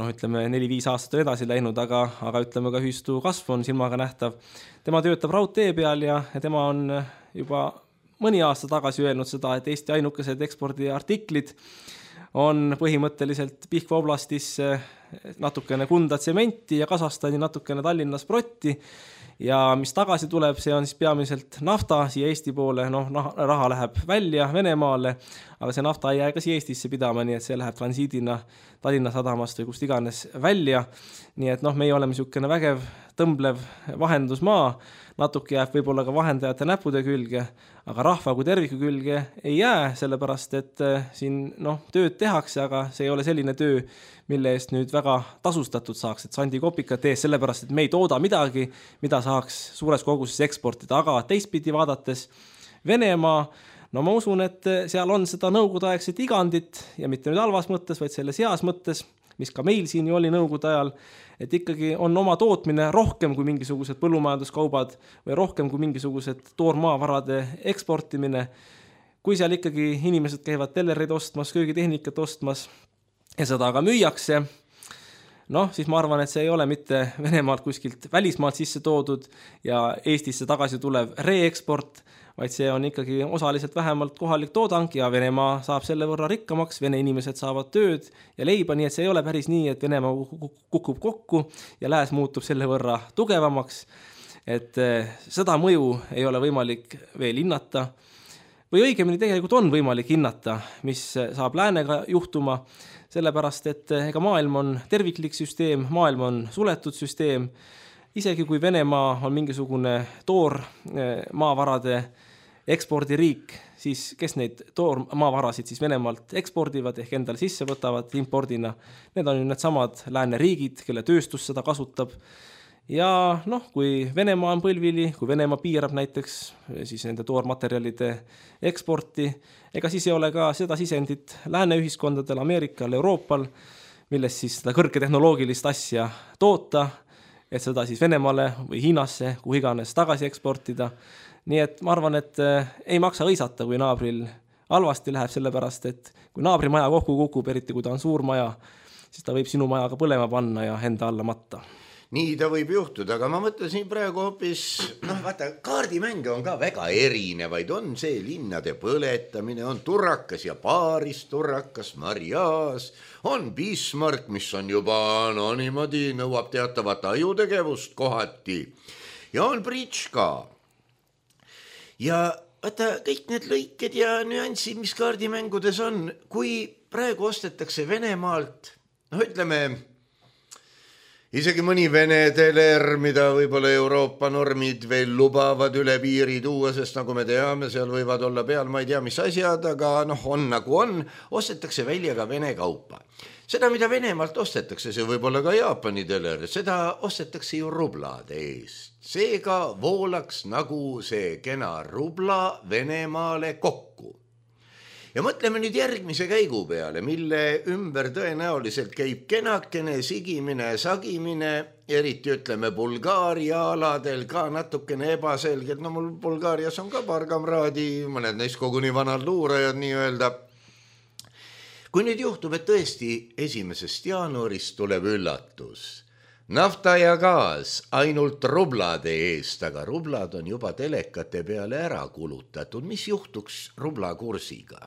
4-5 aastat on edasi läinud, aga ütleme ka ühistu kasv on silmaga nähtav. Tema töötab raudtee peal ja tema on juba mõni aasta tagasi öelnud seda, et Eesti ainukesed ekspordiartiklid on põhimõtteliselt Pihkva oblastis natukene Kunda tsementi ja Kasahstani natukene Tallinnas protti ja mis tagasi tuleb, see on siis peamiselt nafta siia Eesti poole, raha läheb välja Venemaale, aga see nafta ei jää ka siia Eestisse pidama, nii et see läheb transiidina Tallinna sadamast või kust iganes välja, nii et meie oleme niisugune vägev, tõmblev vahendusmaa, natuke jääb võib-olla ka vahendajate näpude külge, aga rahva kui terviku külge ei jää, sellepärast et siin tööd tehakse, aga see ei ole selline töö, mille eest nüüd väga tasustatud saaks, et sandi kopikat ees, sellepärast et me ei tooda midagi, mida saaks suures koguses eksportida, aga teistpidi vaadates Venemaa, ma usun, et seal on seda nõukogudeaegset igandit ja mitte nüüd halvas mõttes, vaid selles heas mõttes, mis ka meil siin ju oli nõukogude ajal, et ikkagi on oma tootmine rohkem kui mingisugused põllumajanduskaubad või rohkem kui mingisugused toormaavarade eksportimine. Kui seal ikkagi inimesed käivad tellereid ostmas, köögitehnikat ostmas ja seda aga müüakse, siis ma arvan, et see ei ole mitte Venemaalt kuskilt välismaalt sisse toodud ja Eestisse tagasi tulev reeksport, vaid see on ikkagi osaliselt vähemalt kohalik toodang ja Venemaa saab selle võrra rikkamaks, Vene inimesed saavad tööd ja leiba, nii et see ei ole päris nii, et Venemaa kukub kokku ja lääs muutub selle võrra tugevamaks, et seda mõju ei ole võimalik veel hinnata või õigemini tegelikult on võimalik hinnata, mis saab läänega juhtuma, sellepärast et ega maailm on terviklik süsteem, maailm on suletud süsteem, isegi kui Venemaa on mingisugune toormaavarade ekspordiriik, siis kes neid toormaavarasid siis Venemaalt ekspordivad ehk endale sisse võtavad impordina, need on ju need samad lääneriigid, kelle tööstus seda kasutab. Ja kui Venemaa on põlvili, kui Venemaa piirab näiteks siis nende toormaterjalide eksporti, ega siis ei ole ka seda sisendit lääne ühiskondadel, Ameerikal, Euroopal, milles siis seda kõrgetehnoloogilist asja toota, et seda siis Venemaale või Hiinasse, kuhu iganes tagasi eksportida. Nii et ma arvan, et ei maksa õisata, kui naabril halvasti läheb, sellepärast, et kui naabri maja kokku kukub, eriti kui ta on suur maja, siis ta võib sinu maja ka põlema panna ja enda alla matta. Nii ta võib juhtuda, aga ma mõtlesin praegu hoopis, vaata, kaardimänge on ka väga erinevaid, on see linnade põletamine, on Turrakas ja Paaris, Turrakas, Mariaas, on Bismarck, mis on juba niimoodi, nõuab teatavat ajutegevust kohati ja on Britška. Ja vaata kõik need lõiked ja nüansid, mis kaardimängudes on, kui praegu ostetakse Venemaalt, ütleme, isegi mõni Vene teler, mida võib-olla Euroopa normid veel lubavad üle piiri tuua, sest nagu me teame, seal võivad olla peal, ma ei tea, mis asjad, aga on nagu on, ostetakse välja ka Vene kaupa. Seda, mida Venemaalt ostetakse, see võib olla ka Jaapani teler, seda ostetakse ju rublade eest. Seega voolaks nagu see kena rubla Venemaale kokku. Ja mõtleme nüüd järgmise käigu peale, mille ümber tõenäoliselt käib kenakene sigimine, sagimine, eriti ütleme Bulgaaria aladel ka natukene ebaselgelt. No mul Bulgaarias on ka paar kamraadi, mõned neist koguni vanad luurajad nii-öelda. Kui nüüd juhtub, et tõesti 1. jaanuarist tuleb üllatus. Nafta ja gaas ainult rublade eest, aga rublad on juba telekate peale ära kulutatud. Mis juhtuks rubla kursiga?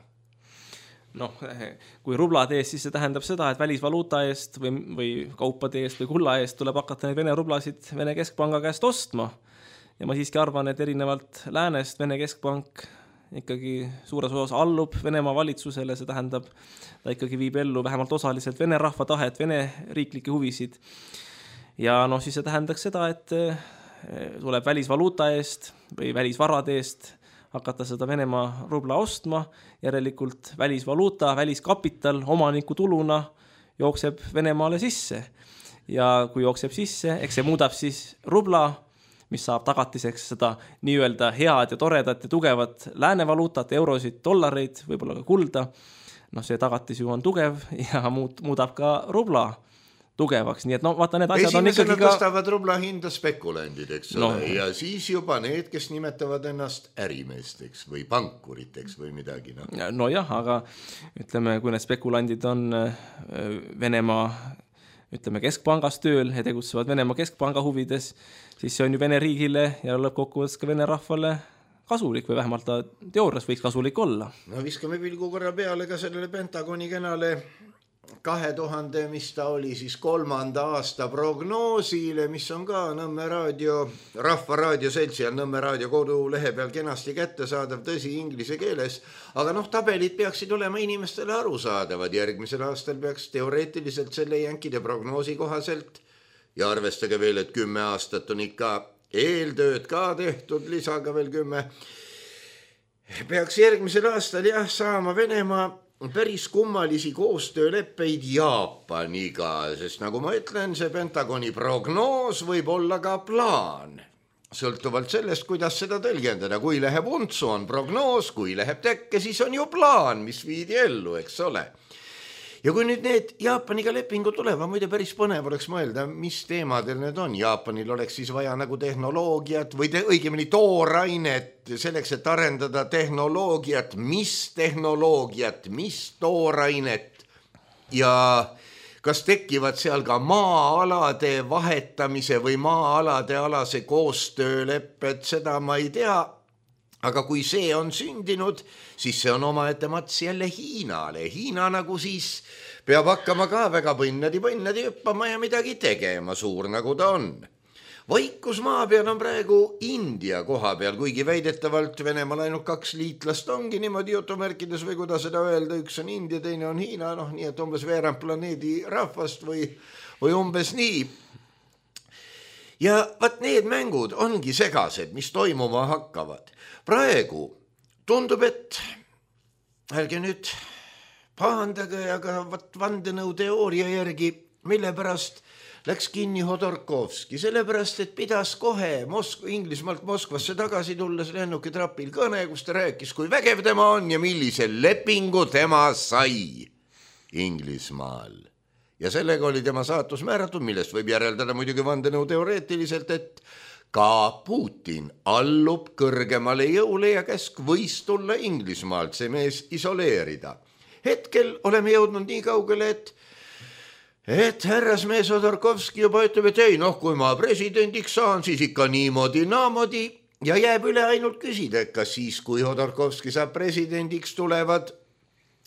Kui rublade eest, siis see tähendab seda, et välisvaluuta eest või kaupade eest või kulla eest tuleb hakata neid Vene rublasid Vene keskpanga käest ostma. Ja ma siiski arvan, et erinevalt läänest Vene keskpank ikkagi suures osas allub Venemaa valitsusele, see tähendab, ta ikkagi viib ellu vähemalt osaliselt Vene rahva tahet, Vene riiklikke huvisid. Ja siis see tähendaks seda, et tuleb välisvaluuta eest või välisvarade eest hakata seda Venemaa rubla ostma, järelikult välisvaluuta, väliskapital omaniku tuluna jookseb Venemaale sisse. Ja kui jookseb sisse, eks see muudab siis rubla, mis saab tagatiseks seda nii-öelda head ja toredat ja tugevat läänevaluutat, eurosid, dollareid, võib-olla ka kulda. See tagatis ju on tugev ja muudab ka rubla tugevaks, nii et vaata need asjad on ikkagi ka... tõstavad rubla hinda spekulandid, eks ole, ja siis juba need, kes nimetavad ennast ärimeesteks või pankuriteks või midagi. Nojah, aga ütleme, kui need spekulandid on Venemaa keskpangas tööl ja tegutsevad Venemaa keskpanga huvides, siis see on ju Vene riigile ja lõppkokkuvõttes ka Vene rahvale kasulik või vähemalt ta teoorias võiks kasulik olla. Viskame pilgu korra peale ka sellele Pentagoni kenale 2000, mis ta oli siis 3. aasta prognoosile, mis on ka Nõmme raadio, Rahva Raadio Seltsi ja Nõmme raadio kodulehe peal kenasti kättesaadav, tõsi inglise keeles, aga tabelid peaksid olema inimestele arusaadavad. Järgmisel aastal peaks teoreetiliselt selle jänkide prognoosi kohaselt ja arvestage veel, et 10 aastat on ikka eeltööd ka tehtud, lisaga veel 10, peaks järgmisel aastal saama Venemaa päris kummalisi koostööleppeid Jaapaniga, sest nagu ma ütlen, see Pentagoni prognoos võib olla ka plaan. Sõltuvalt sellest, kuidas seda tõlgendada, kui läheb untsu on prognoos, kui läheb tekke, siis on ju plaan, mis viidi ellu, eks ole. Ja kui nüüd need Jaapaniga lepingu tulevad, muide päris põnev oleks mõelda, mis teemadel need on. Jaapanil oleks siis vaja nagu tehnoloogiat või õigemini toorainet selleks, et arendada tehnoloogiat, mis toorainet ja kas tekivad seal ka maa-alade vahetamise või maa-alade alase koostöölepped, seda ma ei tea. Aga kui see on sündinud, siis see on omaette mats jälle Hiinale. Hiina nagu siis peab hakkama ka väga põnnadi hüppama ja midagi tegema, suur nagu ta on. Vaikus maa peal on praegu India koha peal, kuigi väidetavalt Venemaal ainult 2 liitlast ongi niimoodi jutumärkides või kuidas seda öelda, üks on India, teine on Hiina, nii et umbes veerand planeedi rahvast või umbes nii. Ja vaat need mängud ongi segased, mis toimuma hakkavad. Praegu tundub, et ärge nüüd pahandage, aga vandenõuteooria järgi, mille pärast läks kinni Hodorkovski, sellepärast, et pidas kohe Inglismaalt Moskvasse tagasi tulles lennukitrapil kõne, kus ta rääkis, kui vägev tema on ja millise lepingu tema sai Inglismaal. Ja sellega oli tema saatus määratud, millest võib järeldada muidugi vandenõuteoreetiliselt, et ka Putin allub kõrgemale jõule ja käsk võis tulla Inglismaalt see mees isoleerida. Hetkel oleme jõudnud nii kaugele, et härrasmees Hodorkovski juba ütleb, et ei, kui ma presidendiks saan, siis ikka niimoodi, naamodi ja jääb üle ainult küsida, kas siis, kui Hodorkovski saab presidendiks, tulevad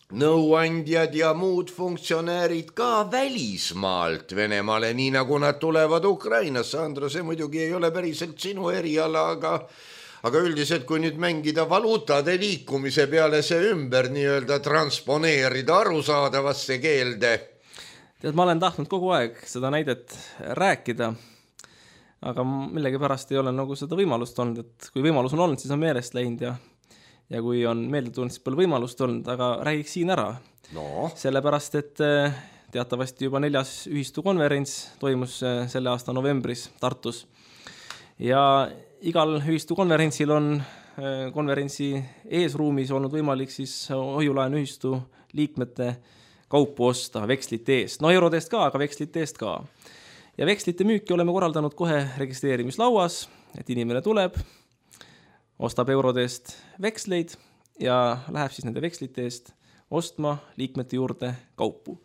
nõuandjad ja muud funktsionäärid ka välismaalt Venemaale, nii nagu nad tulevad Ukrainasse. Andro, see muidugi ei ole päriselt sinu eriala, aga üldiselt, kui nüüd mängida valuutade liikumise peale see ümber nii-öelda transponeerida arusaadavasse keelde. Tead, ma olen tahtnud kogu aeg seda näidet rääkida, aga millegipärast ei ole nagu seda võimalust olnud, et kui võimalus on olnud, siis on meelest läinud ja kui on meelde tulnud, siis pole võimalust olnud, aga räägiks siin ära. No. Sellepärast, et teatavasti juba 4. ühistukonverents toimus selle aasta novembris Tartus ja igal ühistukonverentsil on konverentsi eesruumis olnud võimalik siis hoiulaenu ühistu liikmete kaupu osta vekslite eest. No eurodest ka, aga vekslite eest ka. Ja vekslite müüki oleme korraldanud kohe registreerimislauas, et inimene tuleb, ostab eurodest veksleid ja läheb siis nende vekslite eest ostma liikmete juurde kaupu.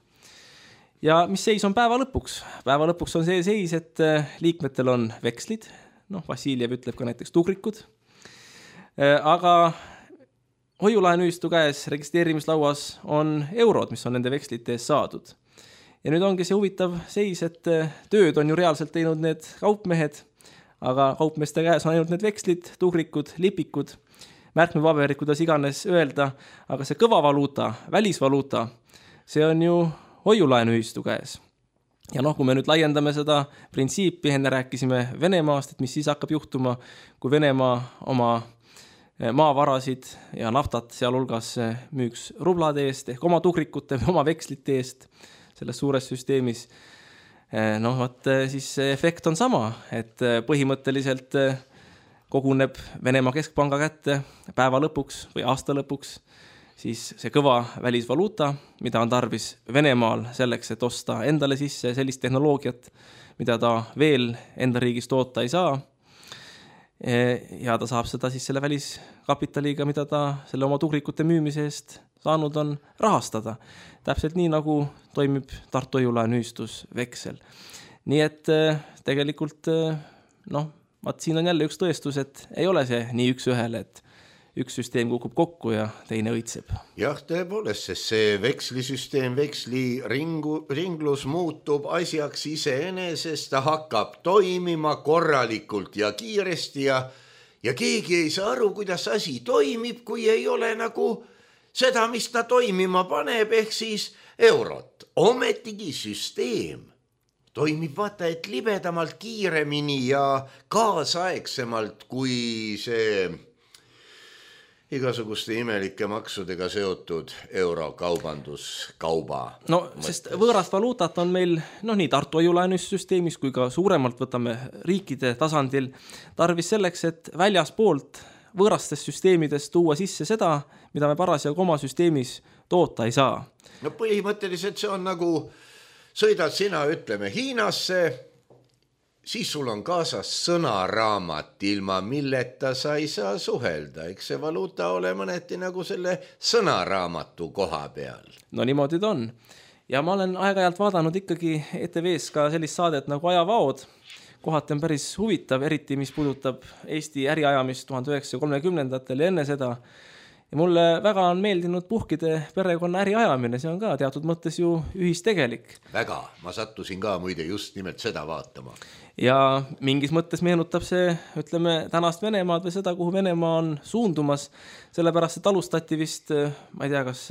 Ja mis seis on päeva lõpuks? Päeva lõpuks on see seis, et liikmetel on vekslid, Vassiljev ütleb ka näiteks tugrikud, aga hoiulaenuühistu käes registreerimislauas on eurod, mis on nende vekslite eest saadud. Ja nüüd ongi see huvitav seis, et tööd on ju reaalselt teinud need kaupmehed, aga kaupmeeste käes on ainult need vekslid, tugrikud, lipikud, märkmepaberid, kuidas iganes öelda, aga see kõva valuuta, välisvaluuta, see on ju hoiulaenuühistu käes. Ja kui me nüüd laiendame seda printsiipi, enne rääkisime Venemaast, et mis siis hakkab juhtuma, kui Venemaa oma maavarasid ja naftat sealhulgas müüks rublade eest ehk oma tugrikute või oma vekslite eest selles suures süsteemis. Siis see efekt on sama, et põhimõtteliselt koguneb Venemaa keskpanga kätte päeva lõpuks või aasta lõpuks siis see kõva välisvaluuta, mida on tarvis Venemaal selleks, et osta endale sisse sellist tehnoloogiat, mida ta veel enda riigis toota ei saa. Ja ta saab seda siis selle väliskapitaliga, mida ta selle oma tugrikute müümise eest saanud on, rahastada. Täpselt nii, nagu toimib Tartu hoiulaenuühistus veksel. Nii et tegelikult, siin on jälle üks tõestus, et ei ole see nii üks ühele, et üks süsteem kukub kokku ja teine õitseb. Jah, tõepoolest, sest see vekslisüsteem, veksliringlus muutub asjaks iseenesest, ta hakkab toimima korralikult ja kiiresti ja keegi ei saa aru, kuidas asi toimib, kui ei ole nagu seda, mis ta toimima paneb, ehk siis eurot. Ometigi süsteem toimib vaata, et libedamalt, kiiremini ja kaasaegsemalt kui see igasuguste imelike maksudega seotud eurokaubanduskauba. Sest võõrast valuutat on meil nii Tartu hoiulaenusüsteemis kui ka suuremalt võtame riikide tasandil tarvis selleks, et väljaspoolt võõrastest süsteemidest tuua sisse seda, mida me parasjagu oma süsteemis toota ei saa. Põhimõtteliselt see on nagu sõidad sina, ütleme, Hiinasse, siis sul on kaasas sõnaraamat, ilma milleta sa ei saa suhelda. Eks see valuuta ole mõneti nagu selle sõnaraamatu koha peal. Niimoodi ta on. Ja ma olen aeg-ajalt vaadanud ikkagi ETV-s ka sellist saadet nagu Ajavaod. Kohati on päris huvitav, eriti mis puudutab Eesti äriajamist 1930-ndatel ja enne seda. Ja mulle väga on meeldinud puhkide perekonna äriajamine, see on ka teatud mõttes ju ühistegelik. Väga, ma sattusin ka muide just nimelt seda vaatama. Ja mingis mõttes meenutab see, ütleme, tänast Venemaad või seda, kuhu Venemaa on suundumas, sellepärast, et alustati vist, ma ei tea, kas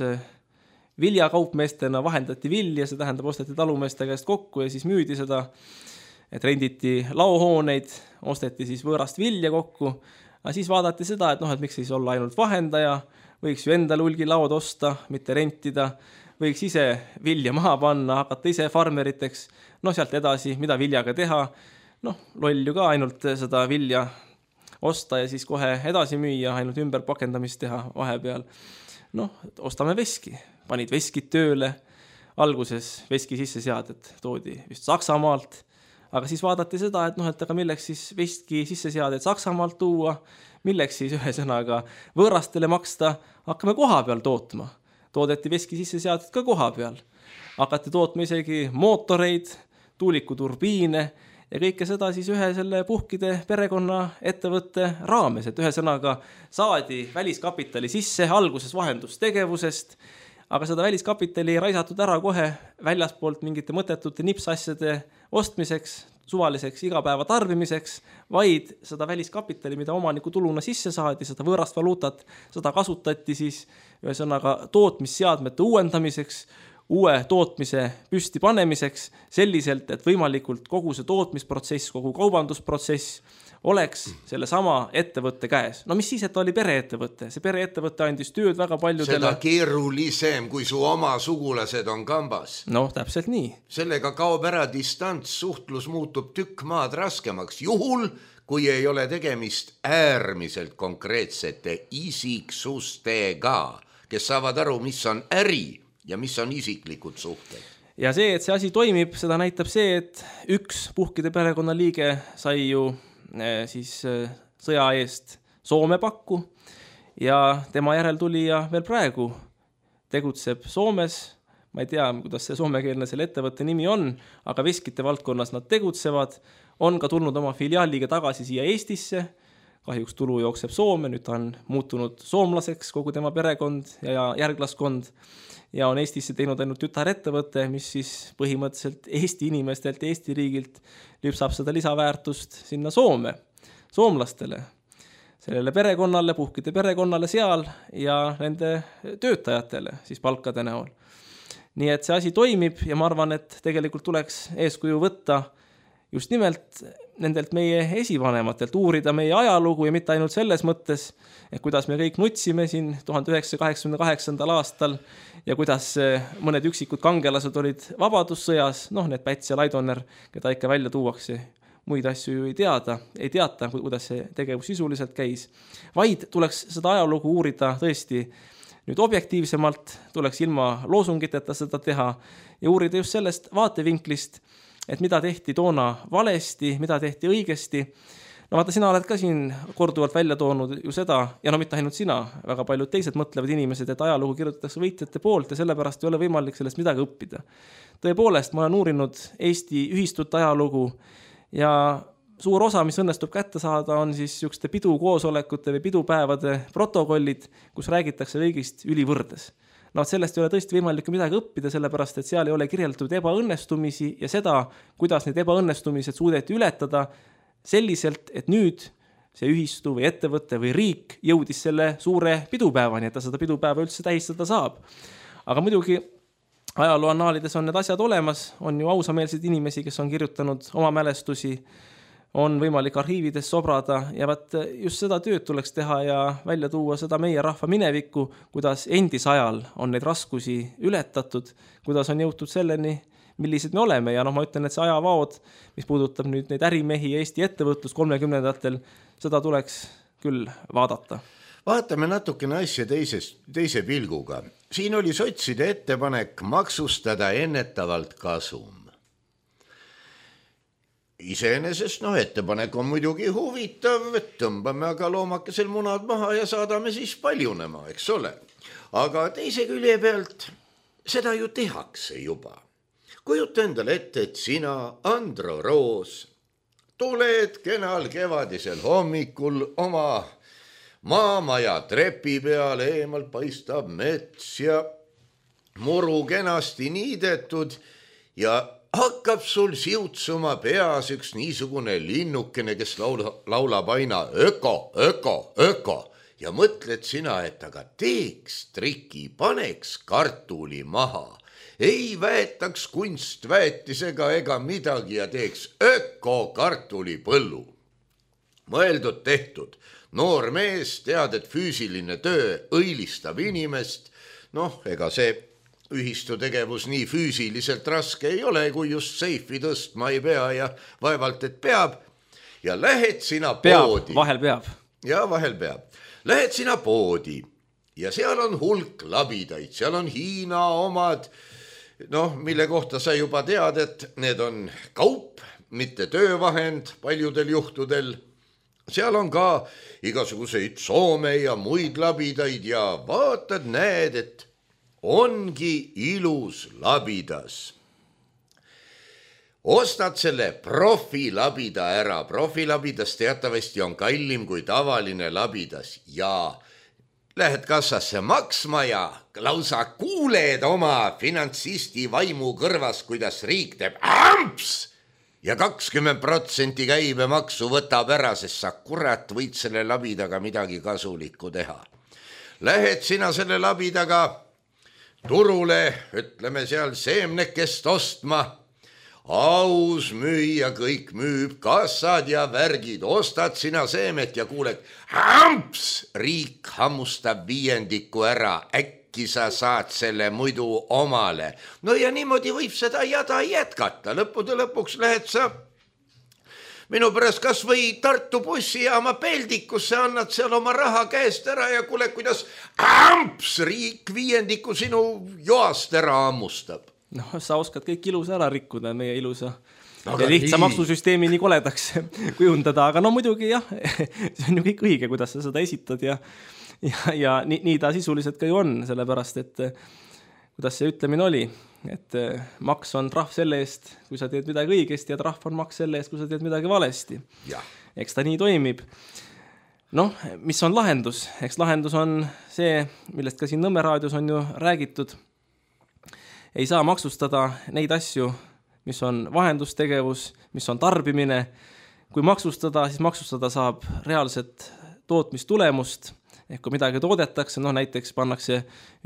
viljakaupmeestena vahendati vilja, see tähendab, osteti talumeeste käest kokku ja siis müüdi seda, et renditi laohooneid, osteti siis võõrast vilja kokku, aga siis vaadati seda, et miks siis olla ainult vahendaja, võiks ju endale hulgi laod osta, mitte rentida, võiks ise vilja maha panna, hakata ise farmeriteks, sealt edasi, mida viljaga teha, loll ju ka ainult seda vilja osta ja siis kohe edasi müüa, ainult ümber pakendamist teha vahepeal. Ostame veski, panid veskid tööle, alguses veski sisseseadet toodi vist Saksamaalt, aga siis vaadati seda, et aga milleks siis veski sisseseadet Saksamaalt tuua, milleks siis ühesõnaga võõrastele maksta, hakkame koha peal tootma. Toodeti veski sisseseadet ka koha peal. Hakati tootma isegi mootoreid, tuulikuturbiine ja kõike seda siis ühe selle puhkide perekonna ettevõtte raames, et ühesõnaga saadi väliskapitali sisse alguses vahendustegevusest, aga seda väliskapitali ei raisatud ära kohe väljaspoolt mingite mõttetute nipsasjade ostmiseks, suvaliseks igapäeva tarbimiseks, vaid seda väliskapitali, mida omaniku tuluna sisse saadi, seda võõrast valuutat, seda kasutati siis ühesõnaga tootmisseadmete uuendamiseks, uue tootmise püsti panemiseks selliselt, et võimalikult kogu see tootmisprotsess, kogu kaubandusprotsess oleks selle sama ettevõtte käes. No mis siis, et ta oli pereettevõte? See pereettevõte andis tööd väga paljudele. Seda keerulisem, kui su oma sugulased on kambas. No, täpselt nii. Sellega kaob ära distants, suhtlus muutub tükk maad raskemaks. Juhul, kui ei ole tegemist äärmiselt konkreetsete isiksustega, kes saavad aru, mis on äri ja mis on isiklikud suhted. Ja see, et see asi toimib, seda näitab see, et üks Puhkide perekonna liige sai ju siis sõja eest Soome pakku ja tema järel tuli ja veel praegu tegutseb Soomes. Ma ei tea, kuidas see soomekeelne selle ettevõtte nimi on, aga veskite valdkonnas nad tegutsevad. On ka tulnud oma filiaaliga tagasi siia Eestisse. Kahjuks tulu jookseb Soome, nüüd ta on muutunud soomlaseks kogu tema perekond ja järglaskond. Ja on Eestisse teinud ainult tütarettevõte, mis siis põhimõtteliselt Eesti inimestelt, Eesti riigilt lüpsab seda lisaväärtust sinna Soome, soomlastele, sellele perekonnale, Puhkide perekonnale seal ja nende töötajatele siis palkade näol. Nii et see asi toimib ja ma arvan, et tegelikult tuleks eeskuju võtta just nimelt nendelt meie esivanematelt, uurida meie ajalugu ja mitte ainult selles mõttes, et kuidas me kõik nutsime siin 1988. aastal ja kuidas mõned üksikud kangelased olid vabadussõjas, need Päts ja Laidoner, keda ikka välja tuuakse, muid asju ju ei teata, kuidas see tegevus sisuliselt käis, vaid tuleks seda ajalugu uurida tõesti nüüd objektiivsemalt, tuleks ilma loosungiteta seda teha ja uurida just sellest vaatevinklist, et mida tehti toona valesti, mida tehti õigesti. No vaata, sina oled ka siin korduvalt välja toonud ju seda, ja mitte ainult sina, väga paljud teised mõtlevad inimesed, et ajalugu kirjutatakse võitjate poolt ja sellepärast ei ole võimalik sellest midagi õppida. Tõepoolest, ma olen uurinud Eesti ühistut ajalugu ja suur osa, mis õnnestub kätte saada, on siis sükste pidukoosolekute või pidupäevade protokollid, kus räägitakse kõigist ülivõrdes. Sellest ei ole tõesti võimalik midagi õppida, sellepärast, et seal ei ole kirjeldatud ebaõnnestumisi ja seda, kuidas need ebaõnnestumised suudeti ületada selliselt, et nüüd see ühistu või ettevõte või riik jõudis selle suure pidupäevani, et ta seda pidupäeva üldse tähistada saab. Aga muidugi ajalooannaalides on need asjad olemas, on ju ausameelseid inimesi, kes on kirjutanud oma mälestusi, on võimalik arhiivides sobrada ja just seda tööd tuleks teha ja välja tuua seda meie rahva minevikku, kuidas endisajal on neid raskusi ületatud, kuidas on jõutud selleni, millised me oleme ja ma ütlen, et see ajavaod, mis puudutab nüüd neid ärimehi ja Eesti ettevõtlus 30-ndatel, seda tuleks küll vaadata. Vaatame natukene asja teise pilguga. Siin oli sotside ettepanek maksustada ennetavalt kasum. Iseenesest ettepanek on muidugi huvitav, et tõmbame aga loomakesel munad maha ja saadame siis paljunema, eks ole. Aga teise külje pealt seda ju tehakse juba. Kujuta endale ette, et sina, Andro Roos, tuled kenal kevadisel hommikul oma maamaja trepi peale, eemalt paistab mets ja muru kenasti niidetud ja hakkab sul siutsuma peas üks niisugune linnukene, kes laulab aina öko, öko, öko ja mõtled sina, et aga teeks triki, paneks kartuli maha, ei väetaks kunstväetisega ega midagi ja teeks öko kartulipõllu. Mõeldud tehtud, noor mees, tead, et füüsiline töö õilistab inimest, ega see ühistu tegevus nii füüsiliselt raske ei ole, kui just seifi tõstma ei pea ja vaevalt, et peab. Ja lähed sina poodi. Vahel peab. Ja vahel peab. Lähed sina poodi ja seal on hulk labidaid, seal on Hiina omad, mille kohta sa juba tead, et need on kaup, mitte töövahend paljudel juhtudel. Seal on ka igasuguseid Soome ja muid labidaid ja vaatad, näed, et ongi ilus labidas. Ostad selle profilabida ära. Profilabidas teatavasti on kallim kui tavaline labidas ja lähed kassasse maksma ja lausa kuuled oma finantsisti vaimu kõrvas, kuidas riik teeb amps ja 20% käibemaksu võtab ära, sest sa kurat võid selle labidaga midagi kasulikku teha. Lähed sina selle labidaga turule, ütleme seal seemnekest ostma, aus müüja kõik müüb, kassad ja värgid, ostad sina seemet ja kuuled, hamps, riik hammustab 5% ära, äkki sa saad selle muidu omale. No ja niimoodi võib seda jada jätkata, lõppude lõpuks lähed sa minu pärast kas või Tartu bussijaama peldikusse, annad seal oma raha käest ära ja kuule, kuidas hamps, riik 5% sinu joast ära hammustab. No sa oskad kõik ilusa ära rikkuda, meie ilusa ja lihtsa maksusüsteemi nii koledaks kujundada, aga no muidugi jah, see on ju kõik õige, kuidas sa seda esitad ja nii ta sisuliselt ka ju on, sellepärast, et kuidas see ütlemine oli, et maks on trahv selle eest, kui sa teed midagi õigesti ja trahv on maks selle eest, kui sa teed midagi valesti. Eks ta nii toimib. Noh, mis on lahendus? Eks lahendus on see, millest ka siin Nõmme raadios on ju räägitud. Ei saa maksustada neid asju, mis on vahendustegevus, mis on tarbimine. Kui maksustada, siis maksustada saab reaalset tootmistulemust. Ehk kui midagi toodetakse, näiteks pannakse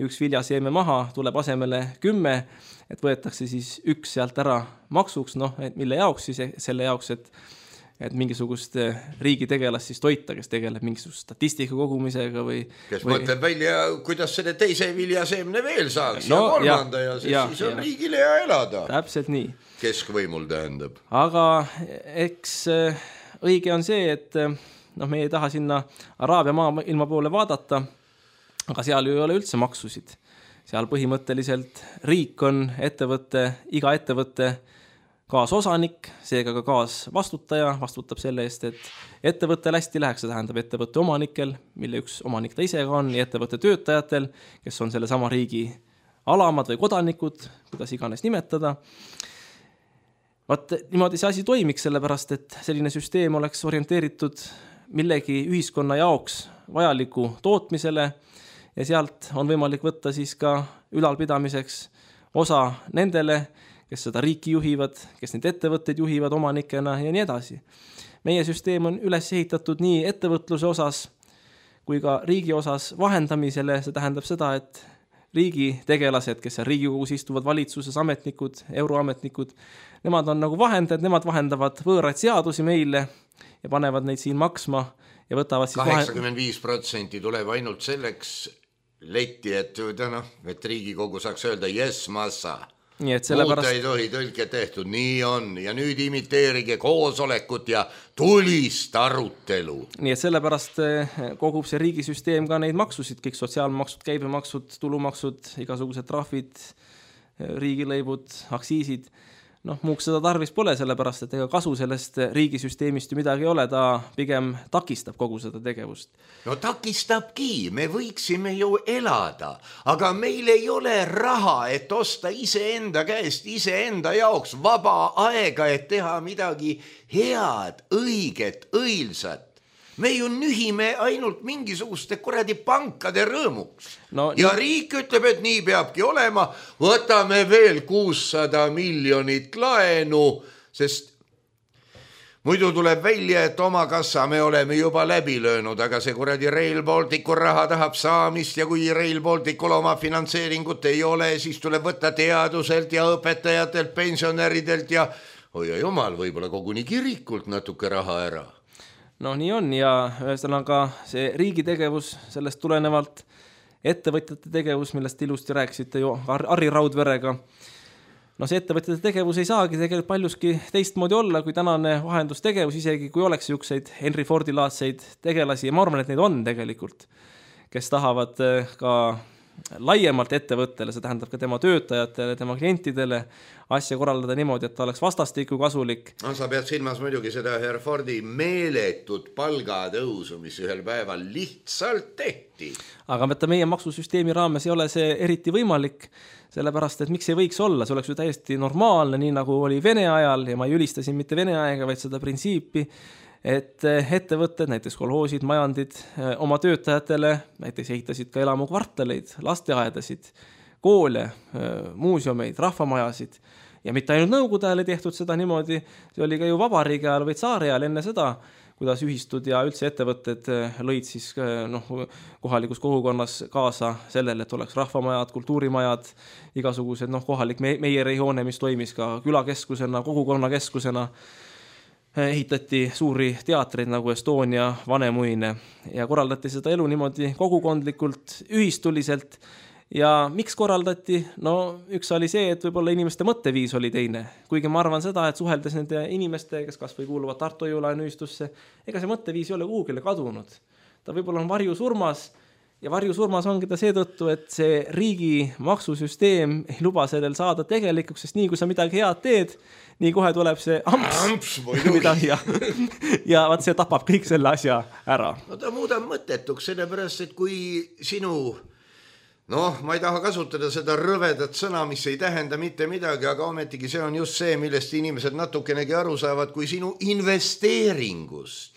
üks viljaseeme maha, tuleb asemele 10, et võetakse siis üks sealt ära maksuks, mille jaoks siis selle jaoks, et mingisugust riigi tegelast siis toita, kes tegeleb mingisugust statistika kogumisega või... Kes mõtleb välja, kuidas selle teise viljaseemne veel saaks ja kolmanda ja siis on riigile ja elada. Täpselt nii. Keskvõimul tähendab. Aga eks õige on see, et me ei taha sinna Araabia maailma poole vaadata, aga seal ju ei ole üldse maksusid. Seal põhimõtteliselt riik on iga ettevõtte kaasosanik, seega ka kaasvastutaja, vastutab selle eest, et ettevõttel hästi läheks, see tähendab ettevõtte omanikel, mille üks omanik ta ise ka on, ja ettevõtte töötajatel, kes on selle sama riigi alamad või kodanikud, kuidas iganes nimetada. Vaat niimoodi see asi toimiks, sellepärast, et selline süsteem oleks orienteeritud millegi ühiskonna jaoks vajaliku tootmisele ja sealt on võimalik võtta siis ka ülalpidamiseks osa nendele, kes seda riiki juhivad, kes neid ettevõtteid juhivad omanikena ja nii edasi. Meie süsteem on üles ehitatud nii ettevõtluse osas kui ka riigi osas vahendamisele, see tähendab seda, et riigi tegelased, kes seal Riigikogus istuvad, valitsuses ametnikud, euroametnikud, nemad on nagu vahendajad, nemad vahendavad võõraid seadusi meile ja panevad neid siin maksma ja võtavad siis 85% tuleb ainult selleks letti, et Riigikogu saaks öelda yes, massa. Muuta ei tohi, tõlke tehtud, nii on ja nüüd imiteerige koosolekut ja tulist arutelu. Nii et sellepärast kogub see riigisüsteem ka neid maksusid, kõik sotsiaalmaksud, käibemaksud, tulumaksud, igasugused trahvid, riigilõivud, aktsiisid. Muuks seda tarvis pole, sellepärast, et ega kasu sellest riigisüsteemist ju midagi ei ole, ta pigem takistab kogu seda tegevust. No takistabki, me võiksime ju elada, aga meil ei ole raha, et osta iseenda käest, iseenda jaoks vaba aega, et teha midagi head, õiget, õilsat. Me ju nühime ainult mingisuguste kuradi pankade rõõmuks. Ja riik ütleb, et nii peabki olema, võtame veel 600 miljonit laenu, sest muidu tuleb välja, et oma kassa me oleme juba läbi löönud, aga see kuradi Rail Balticu raha tahab saamist ja kui Rail Balticul oma finantseeringut ei ole, siis tuleb võtta teaduselt ja õpetajatelt, pensionäridelt ja hoia jumal, võib-olla koguni kirikult natuke raha ära. Nii on ja ühesõnaga see riigi tegevus, sellest tulenevalt ettevõtjate tegevus, millest ilusti rääkisite ju Harri Raudverega. See ettevõtjate tegevus ei saagi tegelikult paljuski teistmoodi olla kui tänane vahendustegevus, isegi kui oleks niisuguseid Henry Fordi-laadseid tegelasi ja ma arvan, et neid on tegelikult, kes tahavad ka laiemalt ettevõttele, see tähendab ka tema töötajatele, tema klientidele asja korraldada niimoodi, et ta oleks vastastikku kasulik. Sa pead silmas muidugi seda Herr Fordi meeletut palgatõusu, mis ühel päeval lihtsalt tehti. Aga meie maksusüsteemi raames ei ole see eriti võimalik, sellepärast, et miks ei võiks olla, see oleks ju täiesti normaalne, nii nagu oli Vene ajal ja ma ei ülistasin mitte Vene aega, vaid seda printsiipi, et ettevõtted, näiteks kolhoosid, majandid oma töötajatele näiteks ehitasid ka elamukvartaleid, lasteaedasid, koole, muuseumeid, rahvamajasid ja mitte ainult Nõukogude ajal ei tehtud seda niimoodi, see oli ka ju vabariigi ajal või tsaari ajal enne seda, kuidas ühistud ja üldse ettevõtted lõid siis kohalikus kogukonnas kaasa sellele, et oleks rahvamajad, kultuurimajad, igasugused kohalik meierihoone, mis toimis ka külakeskusena, kogukonnakeskusena, ehitati suuri teatreid nagu Estonia, Vanemuine ja korraldati seda elu niimoodi kogukondlikult, ühistuliselt. Ja miks korraldati? No üks oli see, et võib-olla inimeste mõtteviis oli teine. Kuigi ma arvan seda, et suheldes nende inimeste, kes kas või kuuluvad Tartu Hoiu-laenuühistusse, ega see mõtteviis ei ole kuhugile kadunud. Ta võib-olla on varjusurmas ja varjusurmas ongi ta seetõttu, et see riigi maksusüsteem ei luba sellel saada tegelikuks, sest nii kui sa midagi head teed, nii kohe tuleb see amps midagi ja vaat see tapab kõik selle asja ära. No ta muudab mõttetuks, sellepärast, et kui sinu ma ei taha kasutada seda rõvedat sõna, mis ei tähenda mitte midagi, aga ometigi see on just see, millest inimesed natukenegi aru saavad, kui sinu investeeringust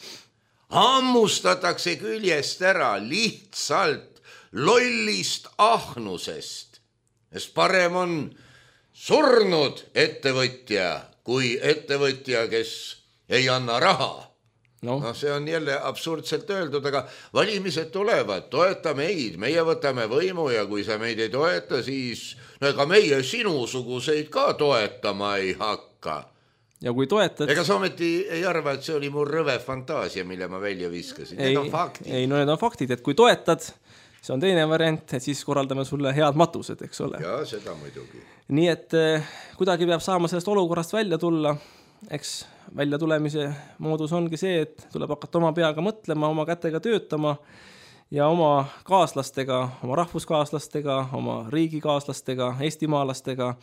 hammustatakse küljest ära lihtsalt lollist ahnusest. Sest parem on surnud ettevõtja kui ettevõtja, kes ei anna raha. See on jälle absurdselt öeldud, aga valimised tulevad, toeta meid, meie võtame võimu ja kui sa meid ei toeta, siis ega meie sinusuguseid ka toetama ei hakka. Ja kui toetad... Ega sa ometi ei arva, et see oli mu rõve fantaasia, mille ma välja viskasin. Need on faktid. Need on faktid, et kui toetad, see on teine variant, et siis korraldame sulle head matused, eks ole. Ja, seda muidugi. Nii et kuidagi peab saama sellest olukorrast välja tulla. Eks välja tulemise moodus ongi see, et tuleb hakata oma peaga mõtlema, oma kätega töötama ja oma kaaslastega, oma rahvuskaaslastega, oma riigikaaslastega, eestimaalastega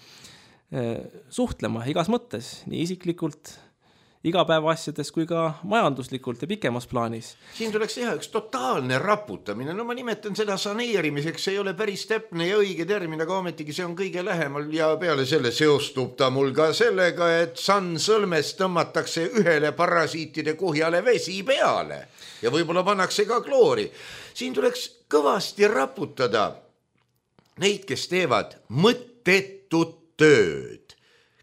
suhtlema igas mõttes, nii isiklikult, igapäeva asjades kui ka majanduslikult ja pikemas plaanis. Siin tuleks teha üks totaalne raputamine. No ma nimetan seda saneerimiseks, see ei ole päris täpne ja õige termin, aga ometigi see on kõige lähemal ja peale selle seostub ta mul ka sellega, et sandsõlmest tõmmatakse ühele parasiitide kuhjale vesi peale ja võib-olla pannakse ka kloori. Siin tuleks kõvasti raputada neid, kes teevad mõttetut tööd,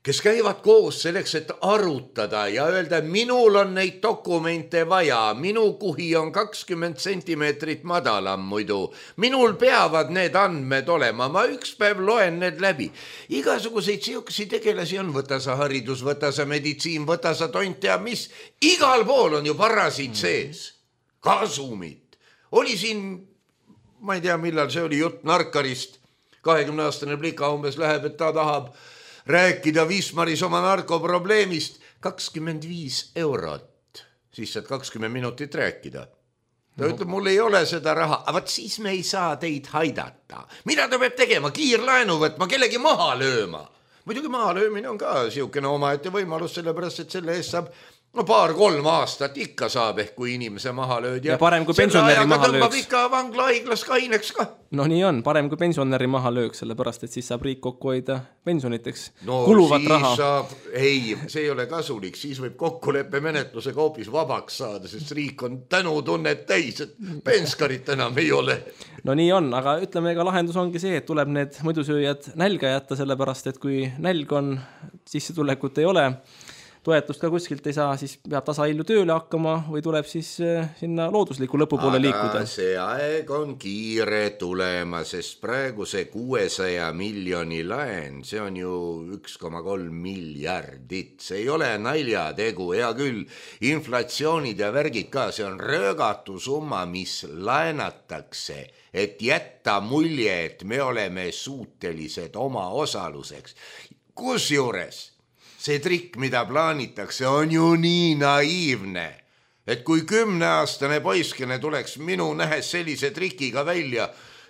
kes käivad koos selleks, et arutada ja öelda, minul on neid dokumente vaja, minu kuhi on 20 sentimeetrit madalam muidu, minul peavad need andmed olema, ma üks päev loen need läbi. Igasuguseid siukesi tegelasi on, võta sa haridus, võta sa meditsiin, võta sa tont ja mis, igal pool on ju parasiit sees, kasumit. Oli siin, ma ei tea millal, see oli jutt narkarist, 20-aastane plika umbes läheb, et ta tahab rääkida Wismaris oma narkoprobleemist 25 €. Siis saad 20 minutit rääkida. Ta ütleb, mul ei ole seda raha, aga siis me ei saa teid haidata. Mida ta peab tegema? Kiirlaenu võtma, kellegi maha lööma. Muidugi maha löömine on ka siukene omaette võimalus, sellepärast, et selle eest saab 2-3 aastat ikka saab ehk kui inimese maha lööd. Ja parem kui pensionäri maha lööks. Tõmbab ikka vangla haiglas kaineks ka. No nii on, parem kui pensionäri maha lööks, sellepärast, et siis saab riik kokku hoida pensioniteks kuluvat raha. Ei, see ei ole kasulik, siis võib kokkuleppe menetlusega hoopis vabaks saada, sest riik on tänutunnet täis, et penskarit enam ei ole. No nii on, aga ütleme, ega lahendus ongi see, et tuleb need muidusööjad nälga jätta, sellepärast, et kui nälg on, sissetulekut ei ole, toetust ka kuskilt ei saa, siis peab tasaillu tööle hakkama või tuleb siis sinna loodusliku lõpupoole liikuda. Aga see aeg on kiire tulema, sest praegu see 600 miljoni laen, see on ju 1,3 miljardit. See ei ole naljategu, hea küll, inflatsioonid ja värgid ka, see on röögatu summa, mis laenatakse, et jätta mulje, et me oleme suutelised oma osaluseks. Kusjuures see trikk, mida plaanitakse, on ju nii naiivne, et kui 10-aastane poiskene tuleks minu nähes sellise trikiga välja,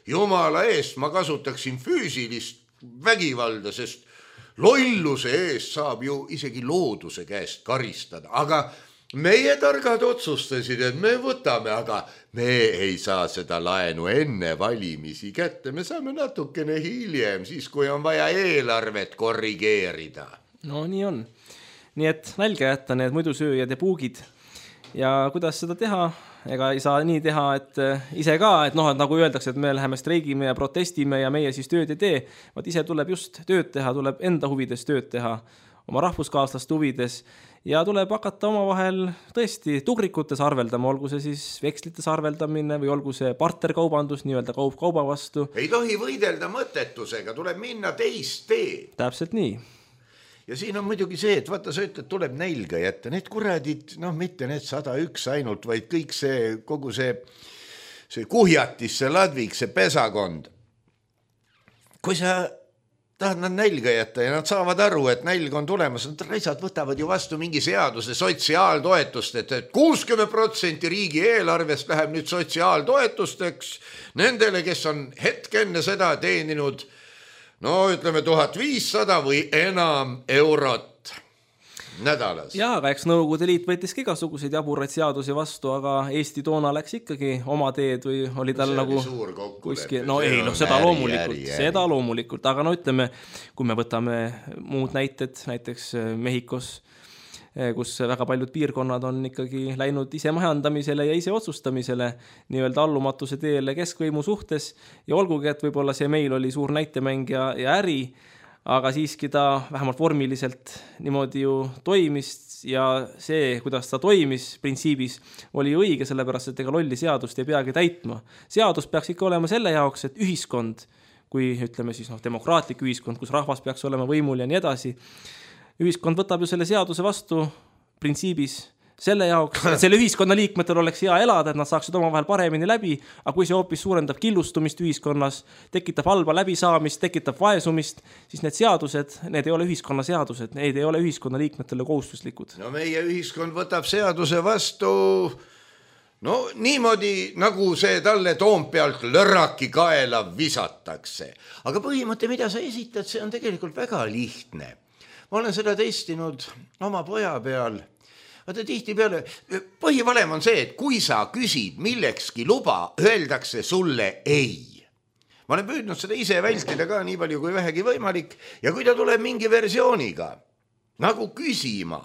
jumala eest ma kasutaksin füüsilist vägivalda, sest lolluse eest saab ju isegi looduse käest karistada. Aga meie targad otsustasid, et me võtame, aga me ei saa seda laenu enne valimisi kätte. Me saame natukene hiljem, siis kui on vaja eelarvet korrigeerida. No nii on. Nii et nälga jätta need muidusööjad ja puugid ja kuidas seda teha, ega ei saa nii teha, et ise ka, et noh, et nagu öeldakse, et me läheme streigime ja protestime ja meie siis tööd ei tee, vaid ise tuleb just tööd teha, tuleb enda huvides tööd teha, oma rahvuskaaslaste huvides ja tuleb hakata omavahel tõesti tugrikutes arveldama, olgu see siis vekslites arveldamine või olgu see partnerkaubandus, nii-öelda kaup kauba vastu. Ei tohi võidelda mõttetusega, tuleb minna teist teed. Täpselt nii. Ja siin on muidugi see, et vaata sa ütled, tuleb nälga jätta, need kuradid, noh mitte need 101 ainult, vaid kõik see, kogu see kuhjatis, see ladvik, see pesakond. Kui sa tahad nad nälga jätta ja nad saavad aru, et nälg on tulemas, nad raisad võtavad ju vastu mingi seaduse sotsiaaltoetust, et 60% riigi eelarvest läheb nüüd sotsiaaltoetusteks nendele, kes on hetk enne seda teeninud no ütleme 1500 või enam eurot nädalas. Jaa, aga eks Nõukogude Liit võttis igasuguseid jaburaid seadusi vastu, aga Eesti toona läks ikkagi oma teed või oli tal nagu kuskil, no ei, noh seda loomulikult, aga no ütleme, kui me võtame muud näited, näiteks Mehhikos, kus väga paljud piirkonnad on ikkagi läinud ise majandamisele ja ise otsustamisele nii-öelda allumatuse teele keskvõimu suhtes ja olgugi, et võib-olla see meil oli suur näitemäng ja äri, aga siiski ta vähemalt vormiliselt niimoodi ju toimis ja see, kuidas ta toimis printsiibis, oli ju õige, sellepärast, et ega lolli seadust ei peagi täitma. Seadus peaks ikka olema selle jaoks, et ühiskond, kui ütleme siis demokraatlik ühiskond, kus rahvas peaks olema võimul ja nii edasi, ühiskond võtab ju selle seaduse vastu printsiibis selle jaoks, et selle ühiskonna liikmetel oleks hea elada, et nad saaksid omavahel paremini läbi, aga kui see hoopis suurendab killustumist ühiskonnas, tekitab halba läbisaamist, tekitab vaesumist, siis need seadused, need ei ole ühiskonna seadused, need ei ole ühiskonna liikmetele kohustuslikud. No meie ühiskond võtab seaduse vastu no niimoodi, nagu see talle Toompealt lörraki kaela visatakse. Aga põhimõte, mida sa esitad, see on tegelikult väga lihtne. Ma olen seda testinud oma poja peal. Vaata tihti peale, põhivalem on see, et kui sa küsid millekski luba, öeldakse sulle ei. Ma olen püüdnud seda ise vältida ka nii palju kui vähegi võimalik ja kui ta tuleb mingi versiooniga nagu küsima,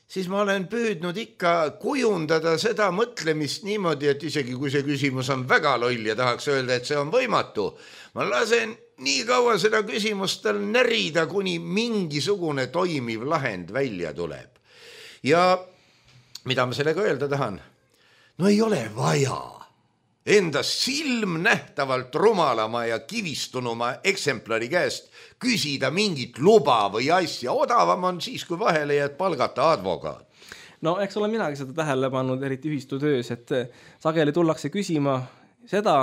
siis ma olen püüdnud ikka kujundada seda mõtlemist niimoodi, et isegi kui see küsimus on väga loll ja tahaks öelda, et see on võimatu, ma lasen nii kaua seda küsimust tal närida, kuni mingisugune toimiv lahend välja tuleb. Ja mida ma sellega öelda tahan? No ei ole vaja enda silmnähtavalt rumalama ja kivistunuma eksemplari käest küsida mingit luba või asja. Odavam on siis, kui vahele jääd palgata advokaat. No eks ole minagi seda tähele pannud, eriti ühistutöös, et sageli tullakse küsima seda,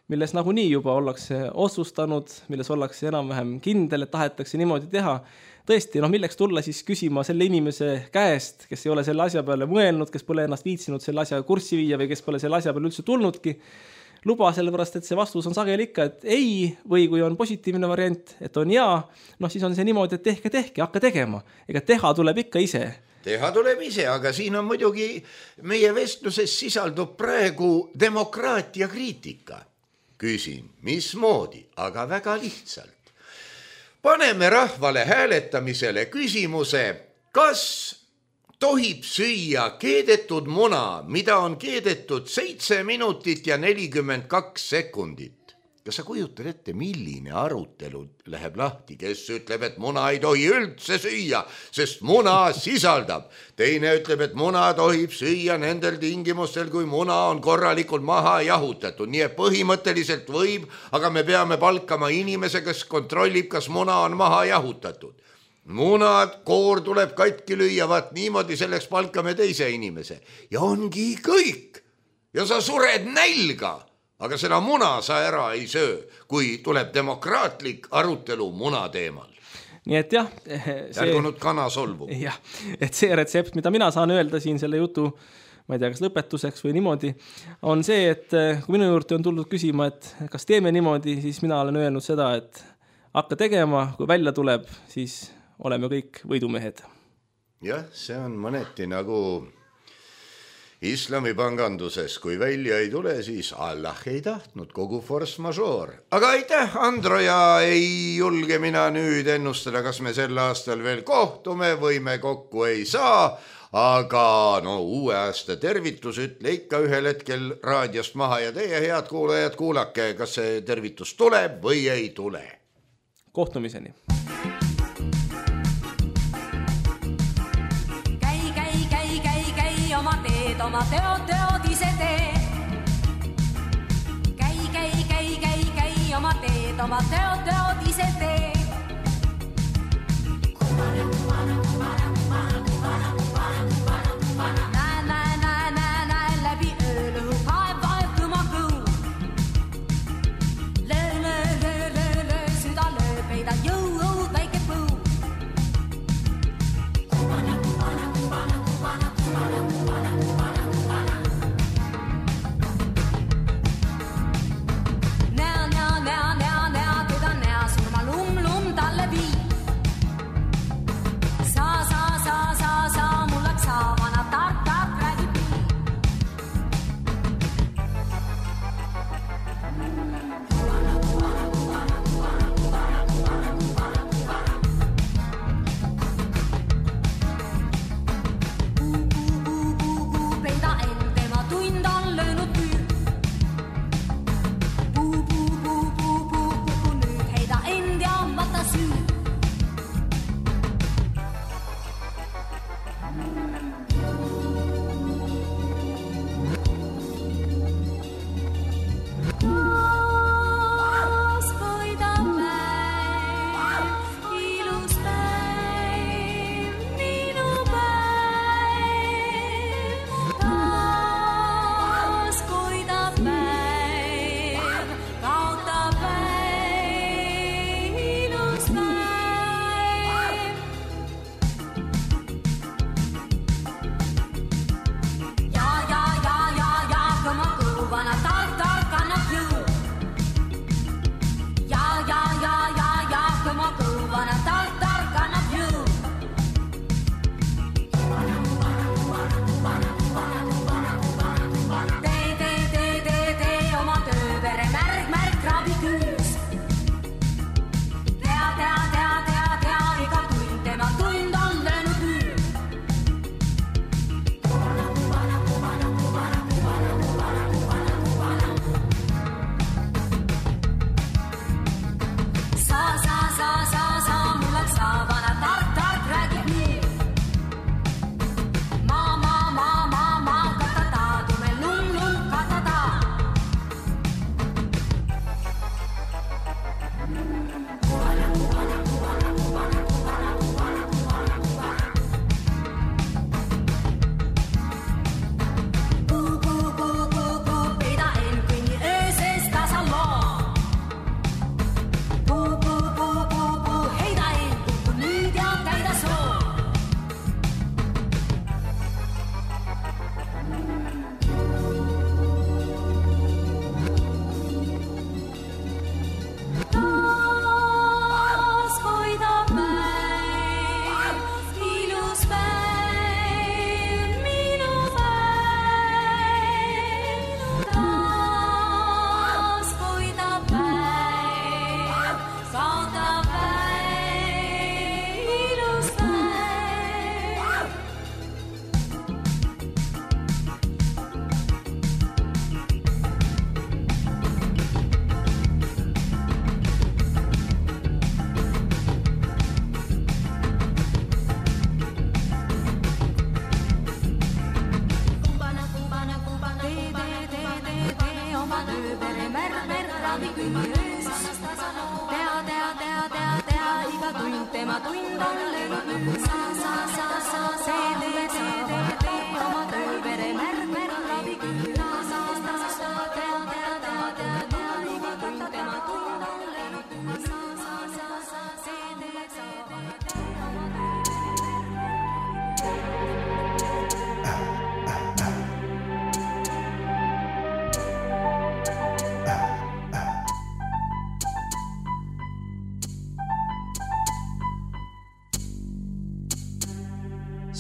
milles nagunii juba ollakse otsustanud, milles ollakse enam-vähem kindel, et tahetakse niimoodi teha. Tõesti, milleks tulla siis küsima selle inimese käest, kes ei ole selle asja peale mõelnud, kes pole ennast viitsinud selle asja kurssi viia või kes pole selle asja peale üldse tulnudki. Luba sellepärast, et see vastus on sageli ikka, et ei, või kui on positiivne variant, et on jaa, siis on see niimoodi, et tehke, hakka tegema. Ega teha tuleb ikka ise. Teha tuleb ise, aga siin on muidugi meie vestluses sisaldub praegu demokraatia kriitika. Küsin, mismoodi, aga väga lihtsalt. Paneme rahvale hääletamisele küsimuse, kas tohib süüa keedetud muna, mida on keedetud 7 minutit ja 42 sekundit. Kas sa kujutad ette, milline arutelu läheb lahti, kes ütleb, et muna ei tohi üldse süüa, sest muna sisaldab. Teine ütleb, et muna tohib süüa nendel tingimustel, kui muna on korralikult maha jahutatud. Nii et põhimõtteliselt võib, aga me peame palkama inimese, kes kontrollib, kas muna on maha jahutatud. Munad, koor tuleb katki lüüa, vaat niimoodi selleks palkame teise inimese. Ja ongi kõik. Ja sa sured nälga. Aga seda muna sa ära ei söö, kui tuleb demokraatlik arutelu muna teemal. Nii et jah, järgunud kana solvu. Jah, et see retsept, mida mina saan öelda siin selle jutu, ma ei tea, kas lõpetuseks või niimoodi, on see, et kui minu juurde on tulnud küsima, et kas teeme niimoodi, siis mina olen öelnud seda, et hakka tegema, kui välja tuleb, siis oleme kõik võidumehed. Jah, see on mõneti nagu islami panganduses, kui välja ei tule, siis Allah ei tahtnud, kogu force majeure. Aga aitäh, Andro, ja ei julge mina nüüd ennustada, kas me sel aastal veel kohtume või me kokku ei saa, aga no uue aasta tervitus ütle ikka ühel hetkel raadiost maha ja teie head kuulajad kuulake, kas see tervitus tuleb või ei tule. Kohtumiseni. Käi, oma teod ise tee. Käi, oma teod ise tee. Näe, läbi öölõhu, vaev kõma kõu. Löö, süda lööb, heida jõu, väike põu. Näa, teda näa, surma lum, talle vii. Sa, mul läks saavana, tark räägib nii. Peida end, tema tund on löönud müü. Nüüd heida end ja võta süü.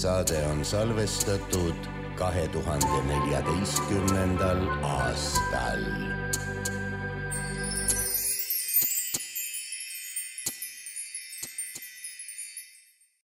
Saade on salvestatud 2014. aastal.